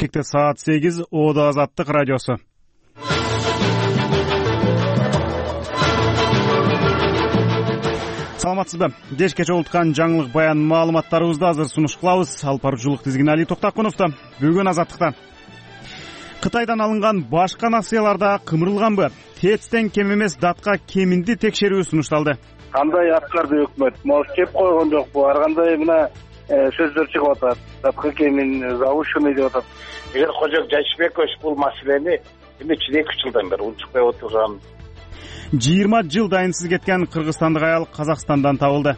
Бишкекте саат 8, Оодо Азаттык радиосу. Саламатсызбы? Кеч кече улуткан жаңылык баян маалыматтарыбызды азыр сунуш кылабыз. Алып баруучулук тизгин Али Токтакуновдо. Бүгүн Азаттыкта Кытайдан алынган башка нацияларда кымырылганбы? ТЭЦтен кем эмес датка кеминди текшерүү сунушталды. Кандай аткарды өкмөт? Могу кеп койгон жокпу? Ар кандай мына сөздөр чыгып атат. Датка кемин завышенный деп атат. Эгер Кожок Жайшыбекович бул маселени эмне үчүн 2 жылдан бери унчукпай отурган? 20 жыл дайынсыз кеткен кыргызстандык аял Казакстандан табылды.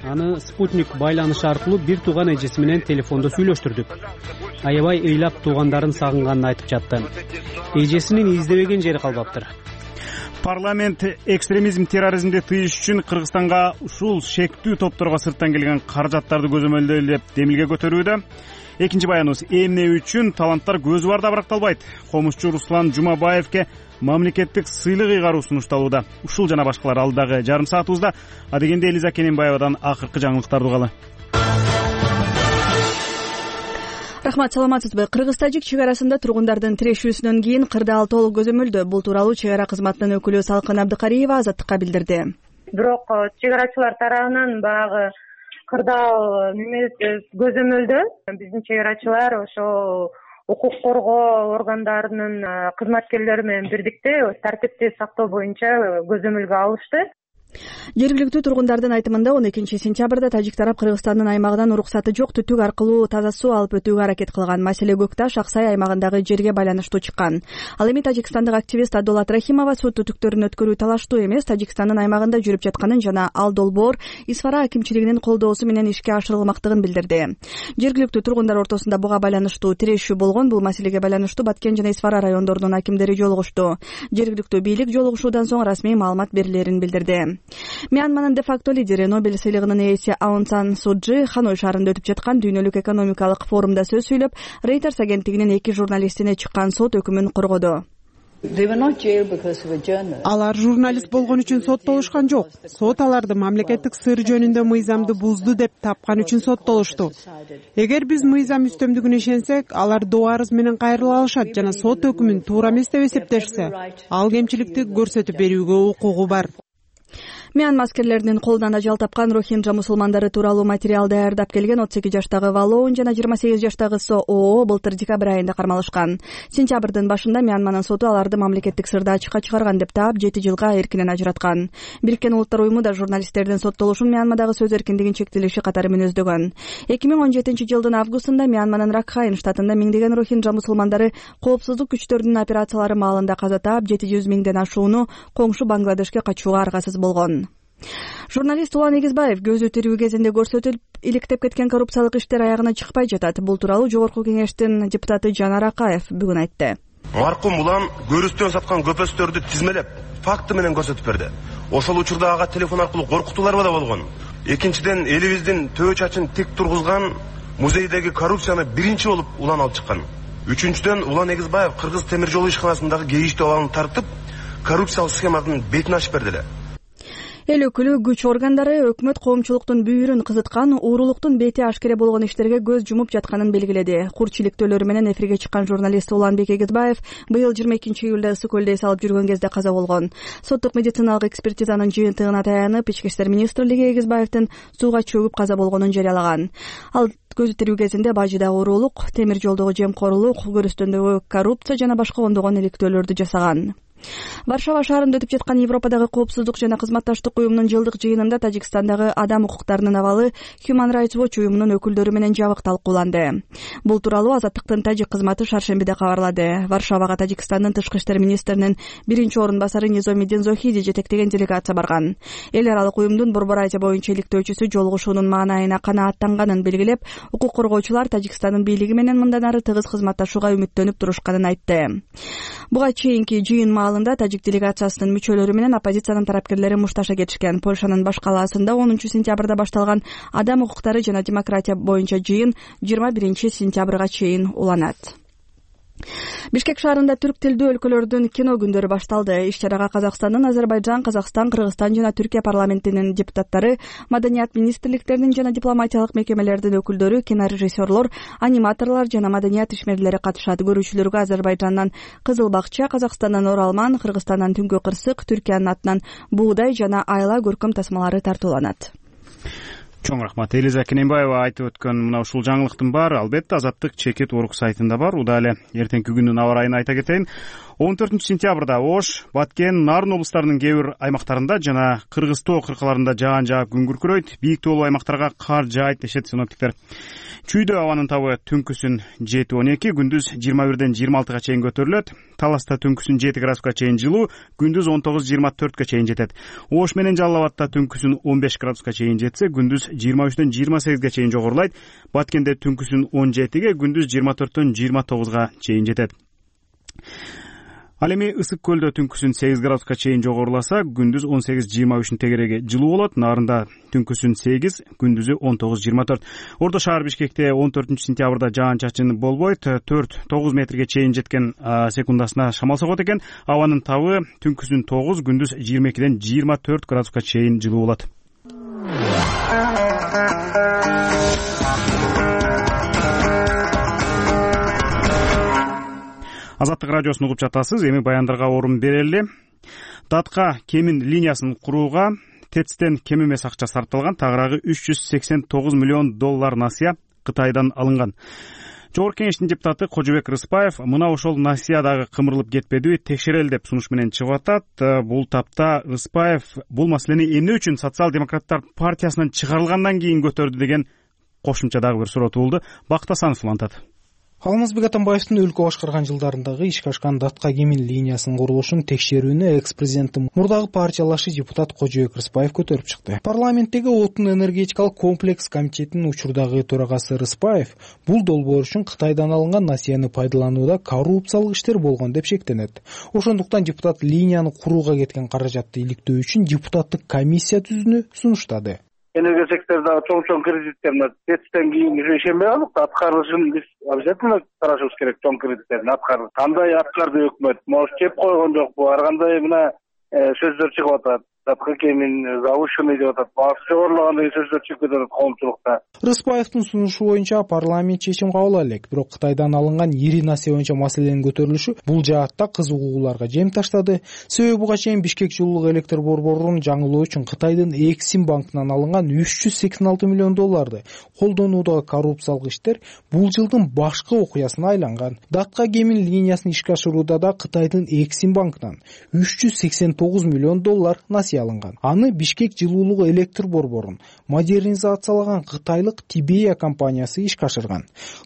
Аны спутник байланышы аркылуу бир тууган эжеси менен телефондо сүйлөштүрдүк. Аябай ыйлап туугандарын сагынганын айтып жатты. Эжесинин издебеген жери калбаптыр. Парламент экстремизм, терроризмди тыйыш үчүн Кыргызстанга ушул шектүү топторго сырттан келген каражаттарды көзөмөлдөп демилге көтөрүүдө. Экинчи баяныбыз эмне үчүн таланттар көзү барда баракталбайт. Комузчу Руслан Жумабаевке мамлекеттик сыйлык ыйгаруу сунушталууда. Ушул жана башкалар алдыдагы жарым саатыбызда. Адегенде Элиза Кененбаевадан акыркы жаңылыктарды угалы. Рахмат, саламатсызбы? Кыргыз-тажик чек арасында тургундардын тирешүүсүнөн кийин кырдаал толук көзөмөлдө. Бул тууралуу чек ара кызматынын өкүлү Салкын Абдыкариева Азаттыкка билдирди. Бирок чек арачылар тарабынан баягы кырдаал көзөмөлдө биздин чек арачылар ошо укук коргоо органдарынын кызматкерлери менен бирдикте тартипти сактоо боюнча көзөмөлгө алышты. Жергиликтүү тургундардын айтымында 12-сентябрда тажик тарап Кыргызстандын аймагынан уруксаты жок түтүк аркылуу таза суу алып өтүүгө аракет кылган. Маселе Көкташ, Аксай аймагындагы жерге байланыштуу чыккан. Ал эми тажикстандык активист Адолат Рахимова суу түтүктөрүн өткөрүү талаштуу эмес, Тажикстандын аймагында жүрүп жатканын жана ал долбоор Исфара акимчилигинин колдоосу менен ишке ашырылмактыгын билдирди. Жергиликтүү тургундар ортосунда буга байланыштуу тирешүү болгон. Бул маселеге байланыштуу Баткен жана Исфара райондорунун акимдери жолугушту. Жергиликтүү бийлик жолугушуудан соң расмий маалымат берилерин билдирди. Мьянманын де-факто лидери, Нобель сыйлыгынын ээси Аун Сан Су Чжи Ханой шаарында өтүп жаткан дүйнөлүк экономикалык форумда сөз сүйлөп, Reuters агенттигинин 2 журналистине чыккан сот өкүмүн коргоду. Алар журналист болгон үчүн соттолушкан жок. Сот аларды мамлекеттик сыр жөнүндө мыйзамды бузду деп тапкан үчүн соттолушту. Эгер биз мыйзам үстөмдүгүнө ишенсек, алар доо арыз менен кайрыла алышат жана сот өкүмүн туура эмес деп эсептешсе, ал кемчиликти көрсөтүп берүүгө укугу бар. Мьянма аскерлеринин колунан ажал тапкан рохинджа мусулмандары тууралуу материал даярдап келген 38 жаштагы Валоун жана 28 жаштагы Со Оо былтыр декабрь айында кармалышкан. Сентябрдын башында Мьянманын соту аларды мамлекеттик сырды ачыкка чыгарган деп таап 7 жылга эркинен ажыраткан. Бириккен Улуттар уюму да журналисттердин соттолушун Мьянмадагы сөз эркиндигин чектелиши катары мүнөздөгөн. 2017 жылдын августунда Мьянманын Ракхайн штатында миңдеген рохинджа мусулмандары коопсуздук күчтөрүнүн операциялары маалында каза таап 700 миңден ашууну коңшу Бангладешке качууга аргасыз болгон. Журналист Улан Эгизбаев көзү тирүү кезинде көрсөтүлүп, иликтеп кеткен коррупциялык иштер аягына чыкпай жатат. Бул тууралуу Жогорку кеңештин депутаты Жанар Акаев бүгүн айтты. Маркум Улан көрүстөн саткан көпөстөрдү тизмелеп, факты менен көрсөтүп берди. Ошол учурда ага телефон аркылуу коркутуулар да болгон. Экинчиден, элибиздин төө чачын тик тургузган музейдеги коррупцияны биринчи болуп Улан алып чыккан. Үчүнчүдөн, Улан Эгизбаев Кыргыз темир жолу ишканасындагы кейиштүү абалын тартып, коррупциялык схеманын бетин ачып берди эле. Эл өкүлү күч органдары өкмөт коомчулуктун бүйүрүн кызыткан, уурулуктун бети ашкере болгон иштерге көз жумуп жатканын белгиледи. Курч иликтөөлөрү менен эфирге чыккан журналист Уланбек Эгизбаев быйыл 22 июлда ысык көлдө эс алып жүргөн кезде каза болгон. Соттук медициналык экспертизанын жыйынтыгына таянып, Ички иштер министрлиги Эгизбаевдин сууга чөгүп каза болгонун жарыялаган. Ал көзү тирүү кезинде бажыдагы уурулук, темир жолдогу жемкорлук, көрүстөндөгү коррупция жана башка ондогон иликтөөлөрдү жасаган. Варшава шаарында өтүп жаткан Европадагы коопсуздук жана кызматташтык уюмунун жылдык жыйынында Тажикстандагы адам укуктарынын абалы Human Rights Watch уюмунун өкүлдөрү менен жабык талкууланды. Бул тууралуу Азаттыктын тажик кызматы шаршембиде кабарлады. Варшавага Тажикстандын тышкы иштер министринин биринчи орун басары Низомиддин Зохиди жетектеген делегация барган. Эл аралык уюмдун Борбор Азия боюнча иликтөөчүсү жолугушуунун маанайына канааттанганын белгилеп, укук коргоочулар Тажикстандын бийлиги менен мындан ары тыгыз кызматташууга үмүттөнүп турушканын айтты. Буга чейинки жыйын маалында тажик делегациясынын мүчөлөрү менен оппозициянын тарапкерлери мушташа кетишкен. Польшанын баш калаасында 10 сентябрда башталган адам укуктары жана демократия боюнча жыйын 21 сентябрга чейин уланат. Бишкек шаарында түрк тилдүү өлкөлөрдүн кино күндөрү башталды. Иш-чарага Казакстандын Азербайжан, Казакстан, Кыргызстан жана Түркия парламентинин депутаттары, маданият министрликтеринин жана дипломатиялык мекемелердин өкүлдөрү, кинорежиссерлор, аниматорлор жана маданият ишмерлери катышат. Көрүүчүлөргө Азербайжандан Кызыл Бакча, Казакстандан Оралман, Кыргызстандан Түнгү Кырсык, Түркиянын атынан Буудай жана Айла көркөм тасмалары тартууланат. Чоң рахмат. Элиза Кененбаева айтып өткөн мына ушул жаңылыктын баары албетте Азаттык чекит орг сайтында бар. Ууда эле эртеңки күнүн аба ырайын айта кетейин. 14-сентябрда Ош, Баткен, Нарын облустарынын кээ бир аймактарында жана Кыргыз тоо кыркаларында жаан жаап күн күркүрөйт. Бийик тоолуу аймактарга кар жаайт дешет синоптиктер. Чүйдө абанын табы түнкүсүн 7-12, күндүз 21-26 чейин көтөрүлөт. Таласта түнкүсүн 7 градуска чейин жылуу, күндүз 19-24 чейин жетет. Ош менен Жалал Абадта түнкүсүн 15 градуска чейин жетсе, күндүз 23-28 чейин жогорулайт. Баткенде түнкүсүн 17, күндүз 24-29 чейин жетет. Ал эми Ысык көлдө түнкүсүн 8 градуска чейин жогоруласа, күндүз 18-23 тегереги жылуу болот. Нарында түнкүсүн 8, күндүзү 19-24. Орто шаар Бишкекте 14-сентябрда жаан-чачын болбойт. 4-9 метрге чейин жеткен секундасына шамал согот экен. Абанын табы түнкүсүн 9, күндүз 22-24 градуска чейин жылуу болот. Азаттык радиосун угуп жатасыз. Эми баяндарга орун берели. Датка кемин линиясын курууга ТЭЦтен кем эмес акча сарпталган. Тагыраагы $389 миллион насыя Кытайдан алынган. Жогорку кеңештин депутаты Кожобек Рыспаев мына ошол насыя дагы кымырылып кетпедиби, текшерели деп сунуш менен чыгып атат. Бул тапта Рыспаев бул маселени эмне үчүн Социал-демократтар партиясынан чыгарылгандан кийин көтөрдү деген кошумча дагы бир суроо туулду. Бакыт Асанов улантат. Алмазбек Атамбаевдин өлкө башкарган жылдарындагы ишке ашкан Датка кемин линиясынын курулушун текшерүүнү экс-президенттин мурдагы партиялашы депутат Кожобек Рыспаев көтөрүп чыкты. Парламенттеги отун энергетикалык комплекс комитетинин учурдагы төрагасы Рыспаев бул долбоор үчүн Кытайдан алынган насыяны пайдаланууда коррупциялык иштер болгон деп шектенет. Ошондуктан депутат линияны курууга кеткен каражатты иликтөө үчүн депутаттык комиссия түзүүнү сунуштады. Энергия секторунда чоң кредиттер ТЭЦтен кийин ишенбей калдык. Аткарылышын биз обязательно карашыбыз керек. Чоң кредиттерин аткарды. Кандай аткарды өкмөт? Может, кеп койгон жокпу? Ар кандай мына сөздөр чыгып атат. Датка кемин завышенный деп атат. Баасы жогорулаган деген сөздөр чыгып кетет коомчулукта. Рыспаевдин сунушу боюнча парламент чечим кабыл ала элек. Бирок Кытайдан алынган ири насыя боюнча маселенин көтөрүлүшү бул жаатта кызыгууларга жем таштады. Себеби буга чейин Бишкек жылуулук электр борборунун жаңылоо үчүн Кытайдын Эксим банкынан алынган $386 миллион колдонуудагы коррупциялык иштер бул жылдын башкы окуясына айланган. Датка кемин линиясын ишке ашырууда да Кытайдын Эксим банкынан $389 миллион насыя алынган. Аны Бишкек жылуулук электр борборун модернизациялаган кытайлык Тибея компаниясы ишке ашырган.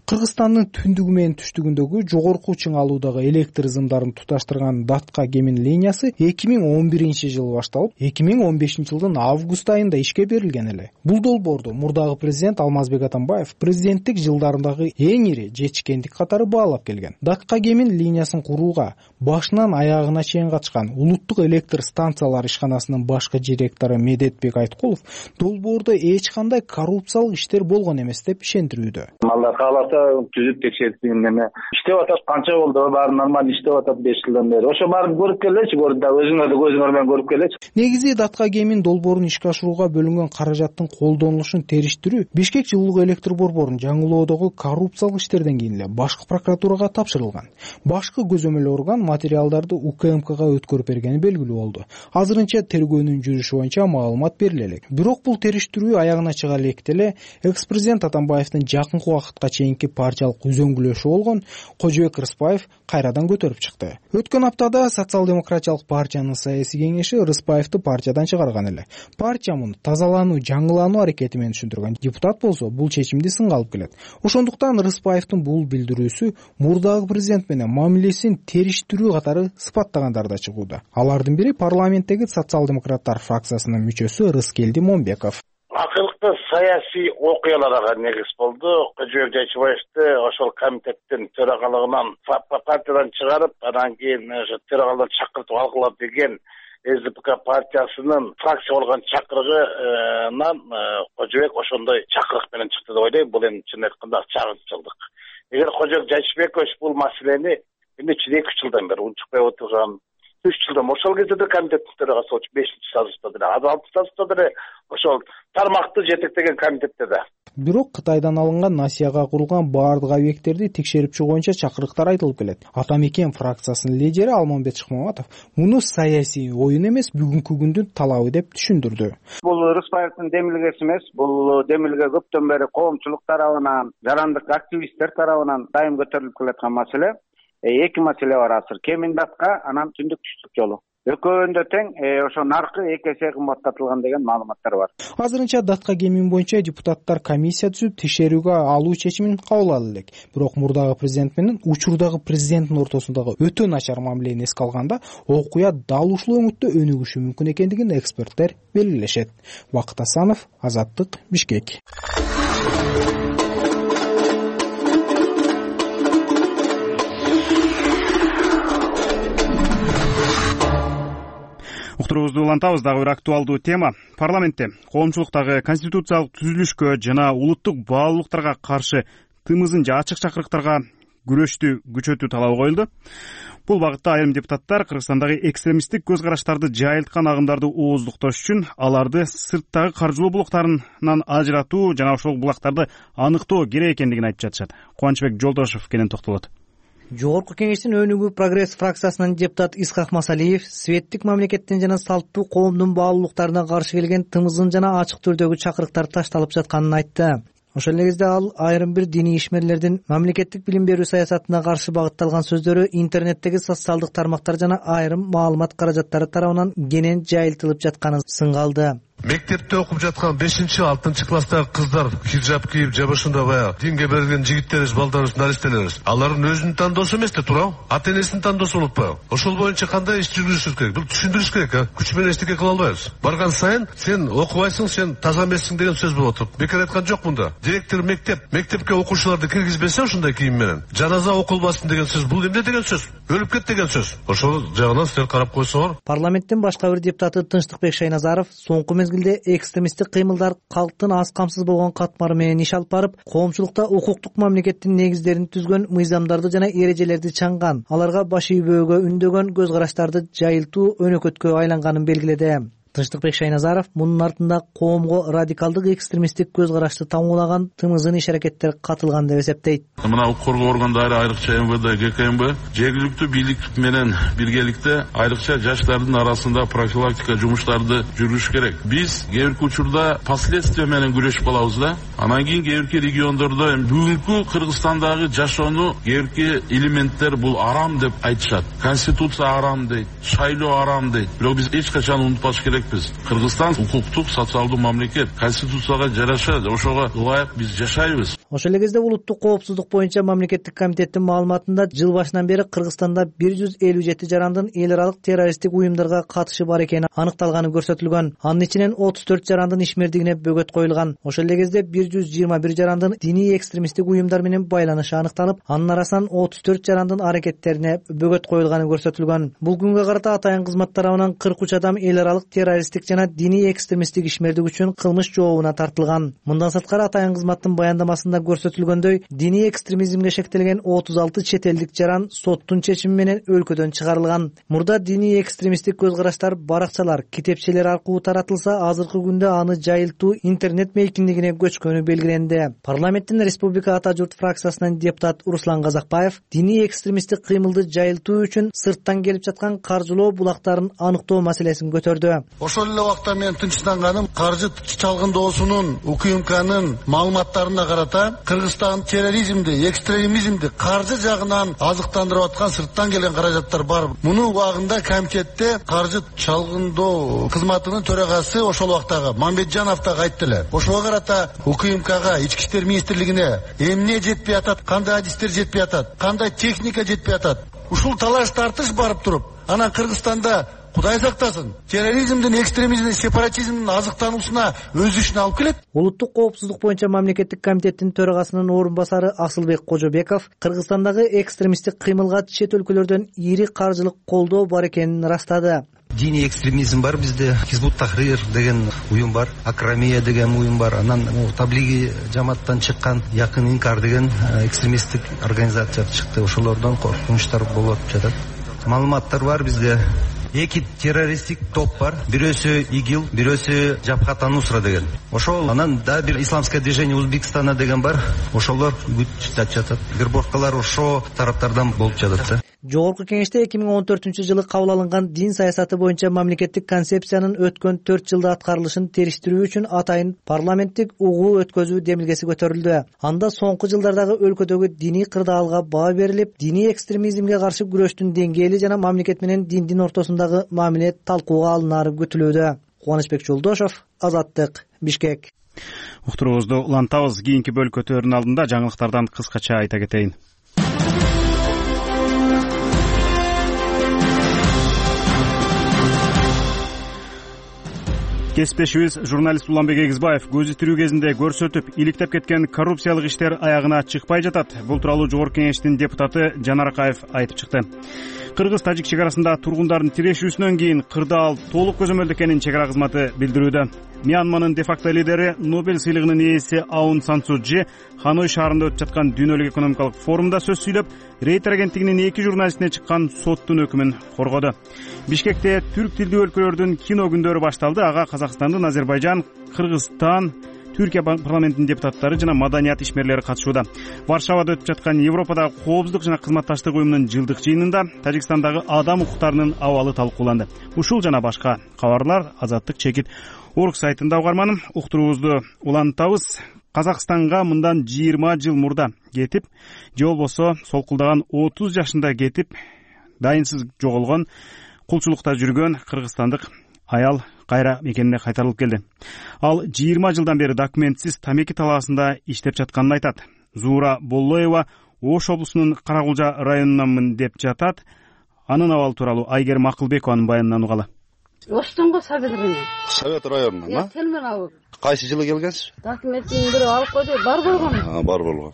Кыргызстандын түндүгү менен түштүгүндөгү жогорку чыңалуудагы электр зымдарын туташтырган Датка кемин линиясы 2011-жылы башталып, 2015-жылдын август айында ишке берилген эле. Бул долбоорду мурдагы президент Алмазбек Атамбаев президенттик жылдарындагы эң ири жетишкендик катары баалап келген. Датка кемин линиясын курууга башынан аягына чейин катышкан улуттук электр станциялар ишканасынын башкы директору Медетбек Айткулов долбоордо эч кандай коррупциялык иштер болгон эмес деп ишендирүүдө. Алар кааласа түзүп текшертип эме иштеп атат, канча болду, баары нормалдуу иштеп атат 5 жылдан бери. Ошо баарын көрүп келечи, гордо өзүңөр да көзүңөр менен көрүп келечи. Негизи Датка кемин долбоорун ишке ашырууга бөлүнгөн каражаттын колдонулушун териштирүү Бишкек жылуулук электр борборунун жаңылоодогу коррупциялык иштерден кийин эле башкы прокуратурага тапшырылган. Башкы көзөмөл орган материалдарды УКМКга өткөрүп бергени белгилүү болду. Азырынча тергөөнүн жүрүшү боюнча маалымат бериле элек. Бирок бул териштирүү аягына чыга электе эле экс-президент Атамбаевдин жакынкы убакытка чейинки партиялык үзөңгүлөшү болгон Кожобек Рыспаев кайрадан көтөрүп чыкты. Өткөн аптада Социал-демократиялык партиянын саясий кеңеши Рыспаевди партиядан чыгарган эле. Партия муну тазалануу, жаңылануу аракети менен түшүндүргөн. Депутат болсо бул чечимди сынга алып келет. Ошондуктан Рыспаевдин бул билдирүүсү мурдагы президент менен мамилесин териштирүү катары сыпаттагандар да чыгууда. Алардын бири парламенттеги Социал-демократтар фракциясынын мүчөсү Рыскелди Момбеков. Акыркы саясий окуяларга негиз болду. Кожобек Жайчыбаевди ошол комитеттин төрагалыгынан партиядан чыгарып, анан кийин ошо төрагалдан чакыртып алгыла деген СДПК партиясынын фракция болгон чакырыгынан Кожобек ошондой чакырык менен чыкты деп ойлойм. Бул эми чын айтканда чагынчылык. эгер Кожобек Жайчыбекович бул маселени эмне үчүн 2 жылдан бери унчукпай отурган, 3 жылдан ошол кезде да комитеттин төрагасы болчу 5-сазышта деле, азыр 6-сазышта деле ошол тармакты жетектеген комитетте да. Бирок Кытайдан алынган Насияга курулган баардык объекттерди текшерип чыгуу боюнча чакырыктар айтылып келет. Ата Мекен фракциясынын лидери Алмамбет Шыкмаматов муну саясий оюн эмес, бүгүнкү күндүн талабы деп түшүндүрдү. Бул Рыспаевдин демилгеси эмес, бул демилге көптөн бери коомчулук тарабынан, жарандык активисттер тарабынан дайым көтөрүлүп келаткан маселе. Эки маселе бар азыр: кемин датка, анан түндүк түштүк жолу. Экөөнүндө тең ошо наркы 2 эсе кымбаттатылган деген маалыматтар бар. Азырынча датка кемин боюнча депутаттар комиссия түзүп текшерүүгө алуу чечимин кабыл алды элек. Бирок мурдагы президент менен учурдагы президенттин ортосундагы өтө начар мамилени эске алганда, окуя дал ушул өңүттө өнүгүшү мүмкүн экендигин эксперттер белгилешет. Бакыт Асанов, Азаттык, Бишкек. Уктуруубузду улантабыз. Дагы бир актуалдуу тема. Парламентте коомчулуктагы конституциялык түзүлүшкө жана улуттук баалуулуктарга каршы тымызын же ачык чакырыктарга күрөштү күчөтүү талабы коюлду. Бул багытта айрым депутаттар Кыргызстандагы экстремисттик көз караштарды жайылткан агымдарды ооздуктош үчүн аларды сырттагы каржылоо булактарынан ажыратуу жана ошол булактарды аныктоо керек экендигин айтып жатышат. Кубанычбек Жолдошов кенен токтолот. Жогорку Кеңештин өнүгүү прогресс фракциясынын депутаты Исхак Масалиев светтик мамлекеттин жана салттуу коомдун баалуулуктарына каршы келген тымыздын жана ачык түрдөгү чакырыктар ташталып жатканын айтты. Ошол эле кезде ал айрым бир диний ишмерлердин мамлекеттик билим берүү саясатына каршы багытталган сөздөрү интернеттеги социалдык тармактар жана айрым маалымат каражаттары тарабынан кенен жайылтылып жатканын сынга алды. Мектепте окуп жаткан 5-6 класстагы кыздар хиджаб кийип же ошондой баягы динге берилген жигиттерибиз, балдарыбыз, наристелерибиз, алардын өзүнүн тандоосу эмес да туурабы? Ата энесинин тандоосу болуппайбы? Ошол боюнча кандай иш жүргүзүш керек? Бул түшүндүрүш керек, Күч менен эчтеке кыла албайбыз. Барган сайын сен окубайсың, сен таза эмессиң деген сөз болуп атат. Бекер айткан жок мында. Директор мектепке окуучуларды киргизбесе ошондой кийим менен, жаназа окулбасын деген сөз, бул эмне деген сөз? Өлүп кет деген сөз. Ошол жагынан силер карап койсоңор. Парламенттин башка бир депутаты Тынчтыкбек Шайназаров соңку мезгилде экстремисттик кыймылдар калктын аз камсыз болгон катмары менен иш алып барып, коомчулукта укуктук мамлекеттин негиздерин түзгөн мыйзамдарды жана эрежелерди чаңган, аларга баш ийбөөгө үндөгөн көз караштарды жайылтуу өнөкөткө айланганын белгиледи. Тынчтыкбек Шайназаров мунун артында коомго радикалдык экстремисттик көз карашты тамуулаган тымызын иш-аракеттер катылган деп эсептейт. Мына укук коргоо органдары, айрыкча МВД, ГКМБ жергиликтүү бийлик менен биргеликте айрыкча жаштардын арасында профилактика жумуштарды жүргүзүш керек. Биз кээ бирки учурда последствия менен күрөшүп калабыз да. Анан кийин кээ бирки региондордо бүгүнкү Кыргызстандагы жашоону кээ бирки элементтер бул арам деп айтышат. Конституция арам дейт, шайлоо арам дейт. Бирок биз эч качан унутпаш керек. Кыргызстан укуктук, социалдуу мамлекет, конституцияга жараша ошого ылайык биз жашайбыз. Ошол эле кезде улуттук коопсуздук боюнча мамлекеттик комитеттин маалыматында жыл башынан бери Кыргызстанда 157 жарандын эл аралык террористтик уюмдарга катышы бар экени аныкталганы көрсөтүлгөн. Анын ичинен 34 жарандын ишмердигине бөгөт коюлган. Ошол эле кезде 121 жарандын диний экстремисттик уюмдар менен байланышы аныкталып, анын арасынан 34 жарандын аракеттерине бөгөт коюлганы көрсөтүлгөн. Бул күнгө карата атайын кызмат тарабынан 43 адам эл аралык террористтик жана диний экстремисттик ишмердик үчүн кылмыш жообуна тартылган. Мындан сырткары атайын кызматтын баяндамасында көрсөтүлгөндөй, диний экстремизмге шектелген 36 чет элдик жаран соттун чечими менен өлкөдөн чыгарылган. Мурда диний экстремисттик көз караштар баракчалар, китепчелер аркылуу таратылса, азыркы күндө аны жайылтуу интернет мейкиндигине көчкөнү белгиленди. Парламенттин Республика Ата журт фракциясынын депутат Руслан Казакбаев диний экстремисттик кыймылды жайылтуу үчүн сырттан келип жаткан каржылоо булактарын аныктоо маселесин көтөрдү. Ошол эле убакта мен тынчтанганым каржы чалгындоосунун УКМКнын маалыматтарына карата Кыргызстан терроризмди, экстремизмди каржы жагынан азыктандырып аткан сырттан келген каражаттар бар. Муну убагында комитетте каржы чалгындоо кызматынын төрагасы ошол убактагы Мамбетжанов да айтты эле. Ошого карата УКМКга, Ички иштер министрлигине эмне жетпей атат, кандай адистер жетпей атат, кандай техника жетпей атат. Ушул талаш тартыш барып туруп, анан Кыргызстанда Кудай сактасын, терроризмдин, экстремизмдин, сепаратизмдин азыктануусуна өзүшүн алып келет. Улуттук коопсуздук боюнча мамлекеттик комитеттин төрагасынын орун басары Асылбек Кожобеков Кыргызстандагы экстремисттик кыймылга чет өлкөлөрдөн ири каржылык колдоо бар экенин расттады. Диний экстремизм бар бизде, Хизбут Тахрир деген уюм бар, Акрамия деген уюм бар, анан Таблиги жамааттан чыккан Якын Инкар деген экстремисттик организация чыкты. Ошолордон коркунучтар болуп жатат. Маалыматтар бар бизде. Эки террористтик топ бар. Бирөөсү ИГИЛ, бирөөсү Жабхат ан-Нусра деген. Ошол анан да бир исламское движение Узбекистана деген бар. Ошолор күч жатат. Вербовкалар ошо тараптардан болуп жатат. Жогорку кеңеште 2014-жылы кабыл алынган дин саясаты боюнча мамлекеттик концепциянын өткөн 4 жылда аткарылышын териштирүү үчүн атайын парламенттик угуу өткөзүү демилгеси көтөрүлдү. Анда соңку жылдардагы өлкөдөгү диний кырдаалга баа берилип, диний экстремизмге каршы күрөштүн деңгээли жана мамлекет менен диндин ортосундагы мамиле талкууга алынары күтүлүүдө. Кубанычбек Жолдошов, Азаттык, Бишкек. Уктуруубузду улантабыз. Кийинки бөлүк өтөөрүнүн алдында жаңылыктардан кыскача айта кетейин. Кесиптешибиз журналист Уланбек Эгизбаев көзү тирүү кезинде көрсөтүп, иликтеп кеткен коррупциялык иштер аягына чыкпай жатат. Бул тууралуу Жогорку Кеңештин депутаты Жанар Акаев айтып чыкты. Кыргыз-Тажик чек арасында тургундардын тирешүүсүнөн кийин кырдаал толук көзөмөлдө экенин чек ара кызматы билдирүүдө. Мьянманын де-факто лидери, Нобель сыйлыгынын ээси Аун Сан Су Чжи Ханой шаарында өтүп жаткан дүйнөлүк экономикалык форумда сөз сүйлөп, Рейтер агенттигинин 2 журналистине чыккан соттун өкүмүн коргоду. Бишкекте түрк тилдүү өлкөлөрдүн кино күндөрү башталды. Ага Казакстандын, Азербайжан, Кыргызстан, Түркия парламентинин депутаттары жана маданият ишмерлери катышууда. Варшавада өтүп жаткан Европадагы коопсуздук жана кызматташтык уюмунун жылдык жыйынында Тажикстандагы адам укуктарынын абалы талкууланды. Ушул жана башка кабарлар Азаттык чекит орг сайтында угарманым. Уктуруубузду улантабыз. Казакстанга мындан 20 жыл мурда кетип, же болбосо солкулдаган 30 жашында кетип, дайынсыз жоголгон, кулчулукта жүргөн кыргызстандык аял кайра мекенине кайтарылып келди. Ал 20 жылдан бери документсиз тамеки талаасында иштеп жатканын айтат. Зуура Боллоева Ош облусунун Каракулжа районунанмын деп жатат. Анын абалы тууралуу Айгер Макылбекованын баянынан угалы. Оштонго Совет району. Совет районунан, Телмен алып. Кайсы жылы келгенсиз? Документин бирөө алып койду, бар болгон. Бар болгон.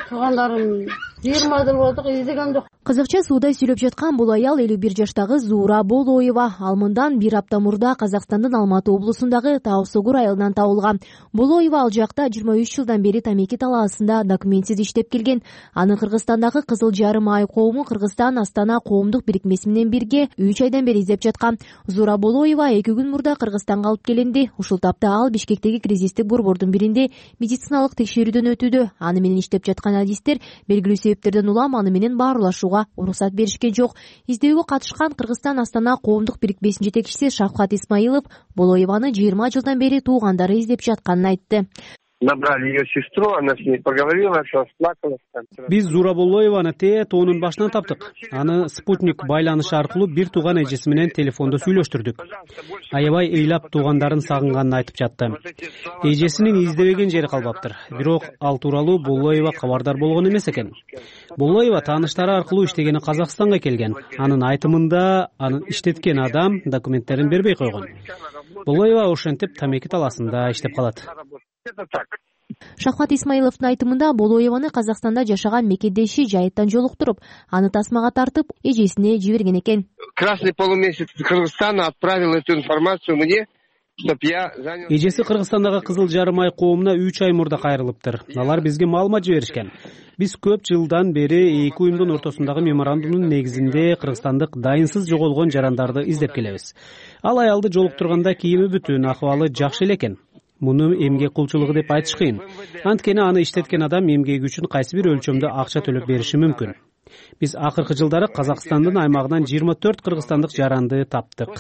Туугандарым 20 жыл болду, издеген жок. Кызыкча суудай сүйлөп жаткан бул аял 51 жаштагы Зуура Болоева. Ал мындан 1 апта мурда Казакстандын Алматы облусундагы Таосогур айылынан табылган. Болоева ал жакта 23 жылдан бери тамеки талаасында документсиз иштеп келген. Аны Кыргызстандагы Кызыл Жарым Ай коому Кыргызстан Астана коомдук бирикмеси менен бирге 3 айдан бери издеп жаткан. Зуура Болоева 2 күн мурда Кыргызстанга алып келинди. Ушул тапта ал Бишкектеги кризистик борбордун биринде медициналык текшерүүдөн өтүүдө. Аны менен иштеп жаткан адистер белгилүү себептерден улам аны менен баарлашууга уруксат беришкен жок. Издөөгө катышкан Кыргызстан Астана коомдук бирикмесинин жетекчиси Шавкат Исмаилов Болоеваны 20 жылдан бери туугандары издеп жатканын айтты. Набрали ее сестру, она с ней поговорила, все расплакалась. Биз Зуура Болоеваны тоонун башынан таптык. Аны спутник байланышы аркылуу бир тууган эжеси менен телефондо сүйлөштүрдүк. Аябай ыйлап туугандарын сагынганын айтып жатты. Эжесинин издебеген жери калбаптыр. Бирок ал тууралуу Болоева кабардар болгон эмес экен. Болоева тааныштары аркылуу иштегени Казакстанга келген. Анын айтымында анын иштеткен адам документтерин бербей койгон. Болоева ошентип тамеки талаасында иштеп калат. Шавкат Исмаиловдун айтымында Болоеваны Казакстанда жашаган мекендеши жайыттан жолуктуруп, аны тасмага тартып, эжесине жиберген экен. Красный полумесяц Кыргызстана отправил эту информацию мне, чтоб я занял... Эжеси Кыргызстандагы Кызыл Жарым Ай коомуна 3 ай мурда кайрылыптыр. Алар бизге маалымат жиберишкен. Биз көп жылдан бери эки уюмдун ортосундагы меморандумдун негизинде кыргызстандык дайынсыз жоголгон жарандарды издеп келебиз. Ал аялды жолуктурганда кийими бүтүн, акыбалы жакшы эле экен. Муну эмгек кулчулугу деп айтыш кыйын. Анткени аны иштеткен адам эмгеги үчүн кайсы бир өлчөмдө акча төлөп бериши мүмкүн. Биз акыркы жылдары Казакстандын аймагынан 24 кыргызстандык жаранды таптык.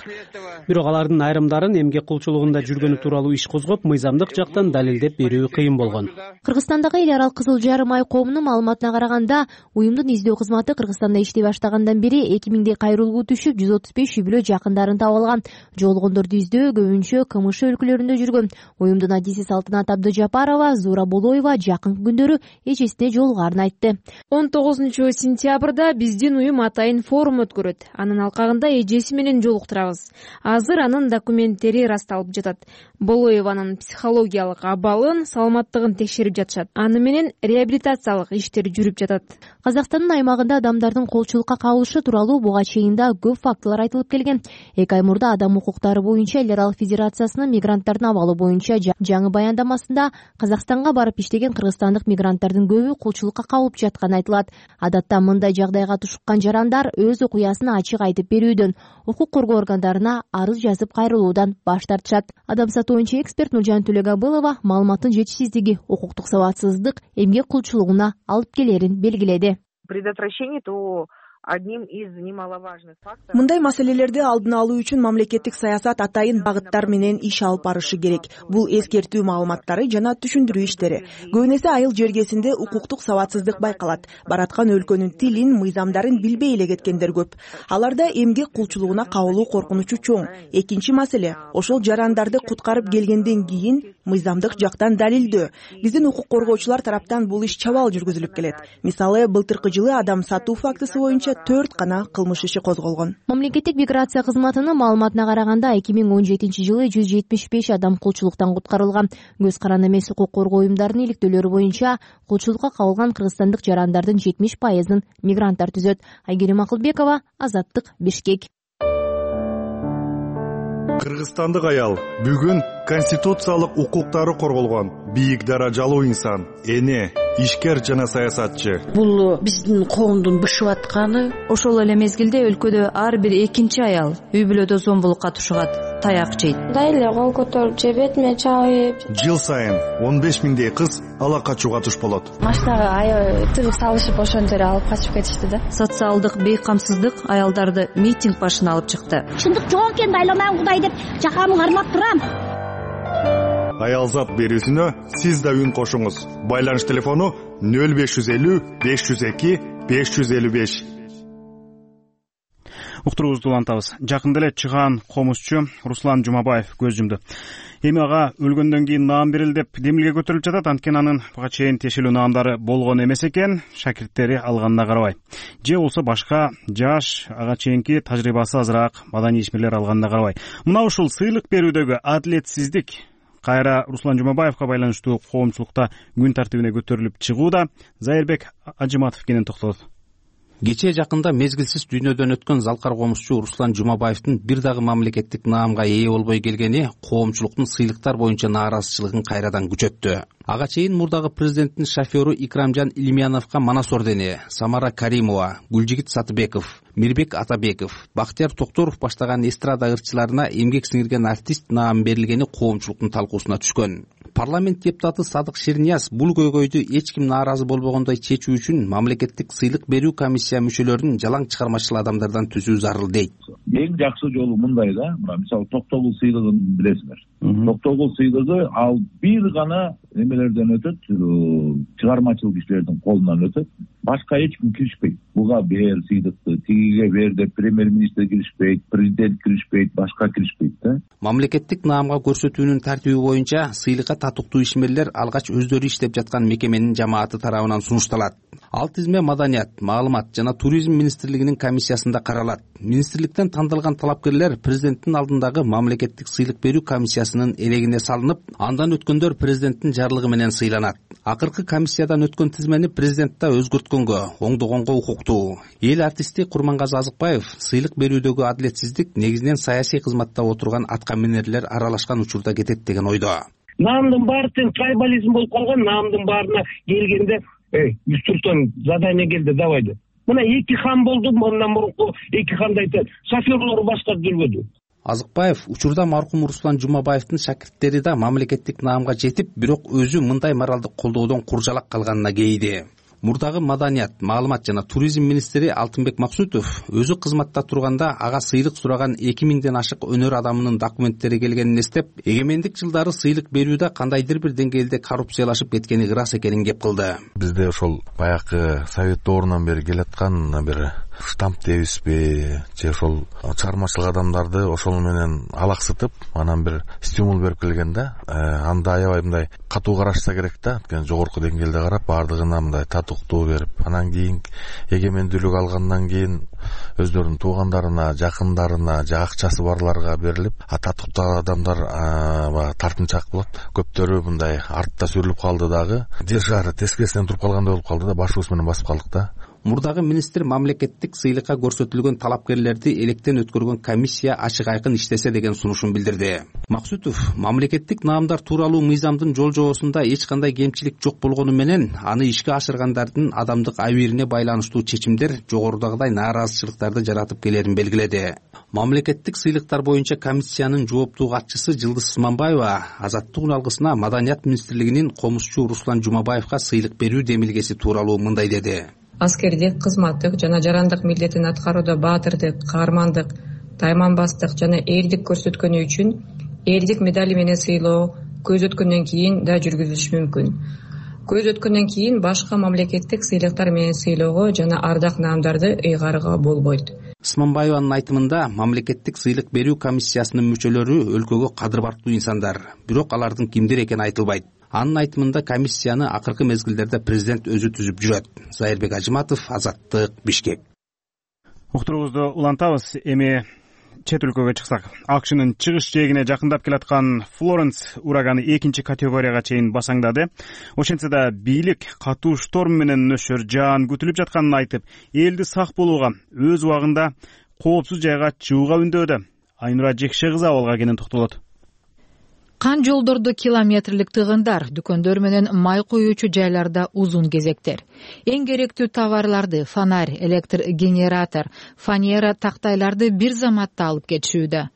Бирок алардын айрымдарын эмгек кулчулугунда жүргөнү тууралуу иш козгоп, мыйзамдык жактан далилдеп берүү кыйын болгон. Кыргызстандагы эл аралык Кызыл Жарым ай коомунун маалыматына караганда, уюмдун издөө кызматы Кыргызстанда иштей баштагандан бери 2000 кайрылгуу түшүп, 135 үй бүлө жакындарын таап алган. Жоголгондорду издөө көбүнчө КМШ өлкөлөрүндө жүргөн. Уюмдун адиси Салтынат Абдыжапарова Зуура Болоева жакынкы күндөрү эжесине жолугаарын айтты. 19 сентябрда биздин уюм атайын форум өткөрөт. Анын алкагында эжеси менен жолуктурабыз. Азыр анын документтери расталып жатат. Болоеванын психологиялык абалын, саламаттыгын текшерип жатышат. Аны менен реабилитациялык иштер жүрүп жатат. Казакстандын аймагында адамдардын колчулукка кабылышы тууралуу буга чейин да көп фактылар айтылып келген. 2 ай мурда Адам укуктары боюнча эл аралык федерациясынын мигранттардын абалы боюнча жаңы баяндамасында Казакстанга барып иштеген кыргызстандык мигранттардын көбү колчулукка кабылып жатканы айтылат. Адатта мындай жагдайга тушуккан жарандар өз окуясын ачык айтып берүүдөн, укук коргоо органдарына арыз жазып кайрылуудан баш тартышат. Адам сатуучу эксперт Нуржан Төлөгабылова маалыматтын жетишсиздиги укуктук сабатсыздык эмгек кулчулугуна алып келерин белгиледи. Предотвращение то одним из немаловажных факторов. Мындай маселелерди алдын алуу үчүн мамлекеттик саясат атайын багыттар менен иш алып барышы керек. Бул эскертүү маалыматтары жана түшүндүрүү иштери. Көбүнесе айыл жергесинде укуктук сабатсыздык байкалат. Бараткан өлкөнүн тилин, мыйзамдарын билбей эле кеткендер көп. Аларда эмгек кулчулугуна кабылуу коркунучу чоң. Экинчи маселе, ошол жарандарды куткарып келгенден кийин мыйзамдык жактан далилдөө. Биздин укук коргоочулар тараптан бул иш чабал жүргүзүлүп келет. Мисалы, былтыркы жылы адам сатуу фактысы боюнча 4 гана кылмыш иши козголгон. Мамлекеттик миграция кызматынын маалыматына караганда 2017 жылы 175 адам кулчулуктан куткарылган. Көз каранды эмес укук коргоо уюмдарынын иликтөөлөрү боюнча кулчулукка кабылган кыргызстандык жарандардын 70%-ын мигранттар түзөт. Айгерим Акылбекова, Азаттык, Бишкек. Кыргызстандык аял бүгүн конституциялык укуктары корголгон бийик даражалуу инсан, эне, ишкер жана саясатчы. Бул биздин коомдун бышып атканы. Ошол эле мезгилде өлкөдө ар бир экинчи аял үй бүлөдө зомбулукка тушугат, таяк жейт. Дайле кол көтөрүп же бетиме чабып. Жыл сайын 15 миңдей кыз ала качууга туш болот. Машинага аябай тыгып салышып ошончо эле алып качып кетишти да. Социалдык бейкамсыздык аялдарды митинг башына алып чыкты. Чындык жок экен, дайламан Кудай деп жакамды кармап турам. Аялзат берүүсүнө сиз да үн кошуңуз. Байланыш телефону 0550 502 555. Уктуруубузду улантабыз. Жакында эле чыгаан комузчу Руслан Жумабаев көз жумду. Эми ага өлгөндөн кийин наам берилди деп демилге көтөрүлүп жатат. Анткени анын буга чейин тиешелүү наамдары болгон эмес экен, шакирттери алганына карабай. Же болсо башка жаш, ага чейинки тажрыйбасы азыраак маданий ишмерлер алганына карабай. Мына ушул сыйлык берүүдөгү адилетсиздик кайра Руслан Жумабаевга байланыштуу коомчулукта күн тартибине көтөрүлүп чыгууда. Зайырбек Ажыматов кенен токтолот. Кечээ жакында мезгилсиз дүйнөдөн өткөн залкар комузчу Руслан Жумабаевдин бир дагы мамлекеттик наамга ээ болбой келгени коомчулуктун сыйлыктар боюнча нааразычылыгын кайрадан күчөттү. Ага чейин мурдагы президенттин шофёру Икрамжан Илимяновго Манас ордени, Самара Каримова, Гүлжигит Сатыбеков, Мирбек Атабеков, Бактияр Токторов баштаган эстрада ырчыларына эмгек сиңирген артист наам берилгени коомчулуктун талкуусуна түшкөн. Парламент депутаты Садык Ширнияз бул көйгөйдү эч ким нааразы болбогондой чечүү үчүн мамлекеттик сыйлык берүү комиссия мүчөлөрүн жалаң чыгармачыл адамдардан түзүү зарыл дейт. Эң жакшы жолу мындай да, мисалы Токтогул сыйлыгын билесиңер. Токтогул сыйлыгы ал бир гана немелерден өтөт, чыгармачыл кишилердин колунан өтөт. Башка эч ким киришпейт. Буга бер сыйлыкты, тигиге бер деп премьер-министр киришпейт, президент киришпейт, башка киришпейт да. Мамлекеттик наамга көрсөтүүнүн тартиби боюнча сыйлыкка татыктуу ишмерлер алгач өздөрү иштеп жаткан мекеменин жамааты тарабынан сунушталат. Ал тизме Маданият, Маалымат жана Туризм министрлигинин комиссиясында каралат. Министрликтен тандалган талапкерлер президенттин алдындагы мамлекеттик сыйлык берүү комиссиясынын элегине салынып, андан өткөндөр президенттин жарлыгы менен сыйланат. Акыркы комиссиядан өткөн тизмени президент да өзгөрткөнгө, оңдогонго укуктуу. Эл артисти Курмангазы Азыкбаев сыйлык берүүдөгү адилетсиздик негизинен саясий кызматта отурган аткаминерлер аралашкан учурда кетет деген ойдо. Наамдын баары тең трайбализм болуп калган, наамдын баарына келгенде Юстуртон задание келди, давай деп. Мына эки хан болду, мындан мурунку эки ханды айтат, шофёрлору башкарып жүрбөдү. Азыкбаев учурда маркум Руслан Жумабаевдин шакирттери да мамлекеттик наамга жетип, бирок өзү мындай моралдык колдоодон куржалак калганына кейиди. Мурдагы маданият, маалымат жана туризм министри Алтынбек Максутов өзү кызматта турганда ага сыйлык сураган 2000ден ашык өнөр адамынын документтери келгенин эстеп, эгемендик жылдары сыйлык берүүдө кандайдыр бир деңгээлде коррупциялашып кеткени ырас экенин кеп кылды. Бизде ошол баягы совет доорунан бери келаткан бир штамп дейбизби, же ошол чыгармачылык адамдарды ошол менен алаксытып, анан бир стимул берип келген да. Анда аябай мындай катуу карашса керек да. Анткени жогорку деңгээлде карап, бардыгына мындай татыктуу берип, анан кийин эгемендүүлүк алгандан кийин өздөрүнүн туугандарына, жакындарына, же акчасы барларга берилип, татыктуу адамдар тартынчаак болот. Көптөрү мындай артта сүрүлүп калды дагы. Держары тескерисинен туруп калгандай болуп калды да, башыбыз менен басып калдык да. Мурдагы министр мамлекеттик сыйлыкка көрсөтүлгөн талапкерлерди электен өткөргөн комиссия ачык айкын иштесе деген сунушун билдирди. Максутов мамлекеттик наамдар тууралуу мыйзамдын жол жобосунда эч кандай кемчилик жок болгону менен аны ишке ашыргандардын адамдык абийирине байланыштуу чечимдер жогорудагыдай нааразычылыктарды жаратып келерин белгиледи. Мамлекеттик сыйлыктар боюнча комиссиянын жооптуу катчысы Жылдыз Сманбаева Азаттык үн алгысына Маданият министрлигинин комузчу Руслан Жумабаевга сыйлык берүү демилгеси тууралуу мындай деди. Аскердик, кызматтык жана жарандык милдетин аткарууда баатырдык, каармандык, тайманбастык жана эрдик көрсөткөнү үчүн эрдик медали менен сыйлоо көз өткөндөн кийин да жүргүзүлүшү мүмкүн. Көз өткөндөн кийин башка мамлекеттик сыйлыктар менен сыйлоого жана ардак наамдарды ыйгарууга болбойт. Сманбаеванын айтымында мамлекеттик сыйлык берүү комиссиясынын мүчөлөрү өлкөгө кадыр барктуу инсандар, бирок алардын кимдир экени айтылбайт. Анын айтымында комиссияны акыркы мезгилдерде президент өзү түзүп жүрөт. Зайырбек Ажыматов, Азаттык, Бишкек. Уктуруубузду улантабыз. Эми чет өлкөгө чыксак, АКШнын чыгыш жээгине жакындап келаткан Флоренс ураганы 2 категорияга чейин басаңдады. Ошентсе да бийлик катуу шторм менен нөшөр жаан күтүлүп жатканын айтып, элди сак болууга, өз убагында коопсуз жайга чыгууга үндөдө. Айнура Жекше кызы абалга кенен токтолот. Кан жолдордо километрлик тыгындар, дүкөндөр менен май куюучу жайларда узун кезектер. Эң керектүү товарларды фонарь, электр генератор, фанера тактайларды бир заматта алып кетишүүдө.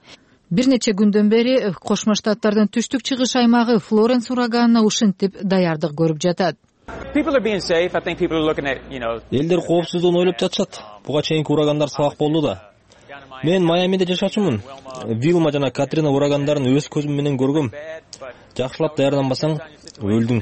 Бир нече күндөн бери Кошмо Штаттардын түштүк чыгыш аймагы Флоренс ураганына ушинтип даярдык көрүп жатат. Элдер коопсуздугун ойлоп жатышат. Буга чейинки урагандар сабак болду да. Мен Майамиде жашачумун. Вилма жана Катрина урагандарын өз көзүм менен көргөм. Жакшылап даярданбасаң өлдүң.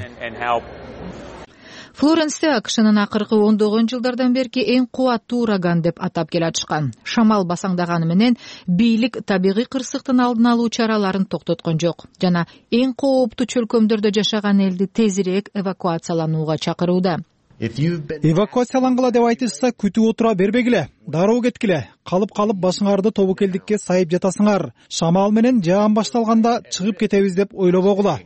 Флоренсте АКШнын акыркы ондогон жылдардан берки эң кубаттуу ураган деп атап келатышкан. Шамал басаңдаганы менен бийлик табигый кырсыктын алдын алуу чараларын токтоткон жок жана эң кооптуу чөлкөмдөрдө жашаган элди тезирээк эвакуацияланууга чакырууда. Эвакуациялангыла деп айтышса, күтүп отура бербегиле, дароо кеткиле, калып башыңарды тобокелдикке сайып жатасыңар. Шамал менен жаан башталганда чыгып кетебиз деп ойлобогула,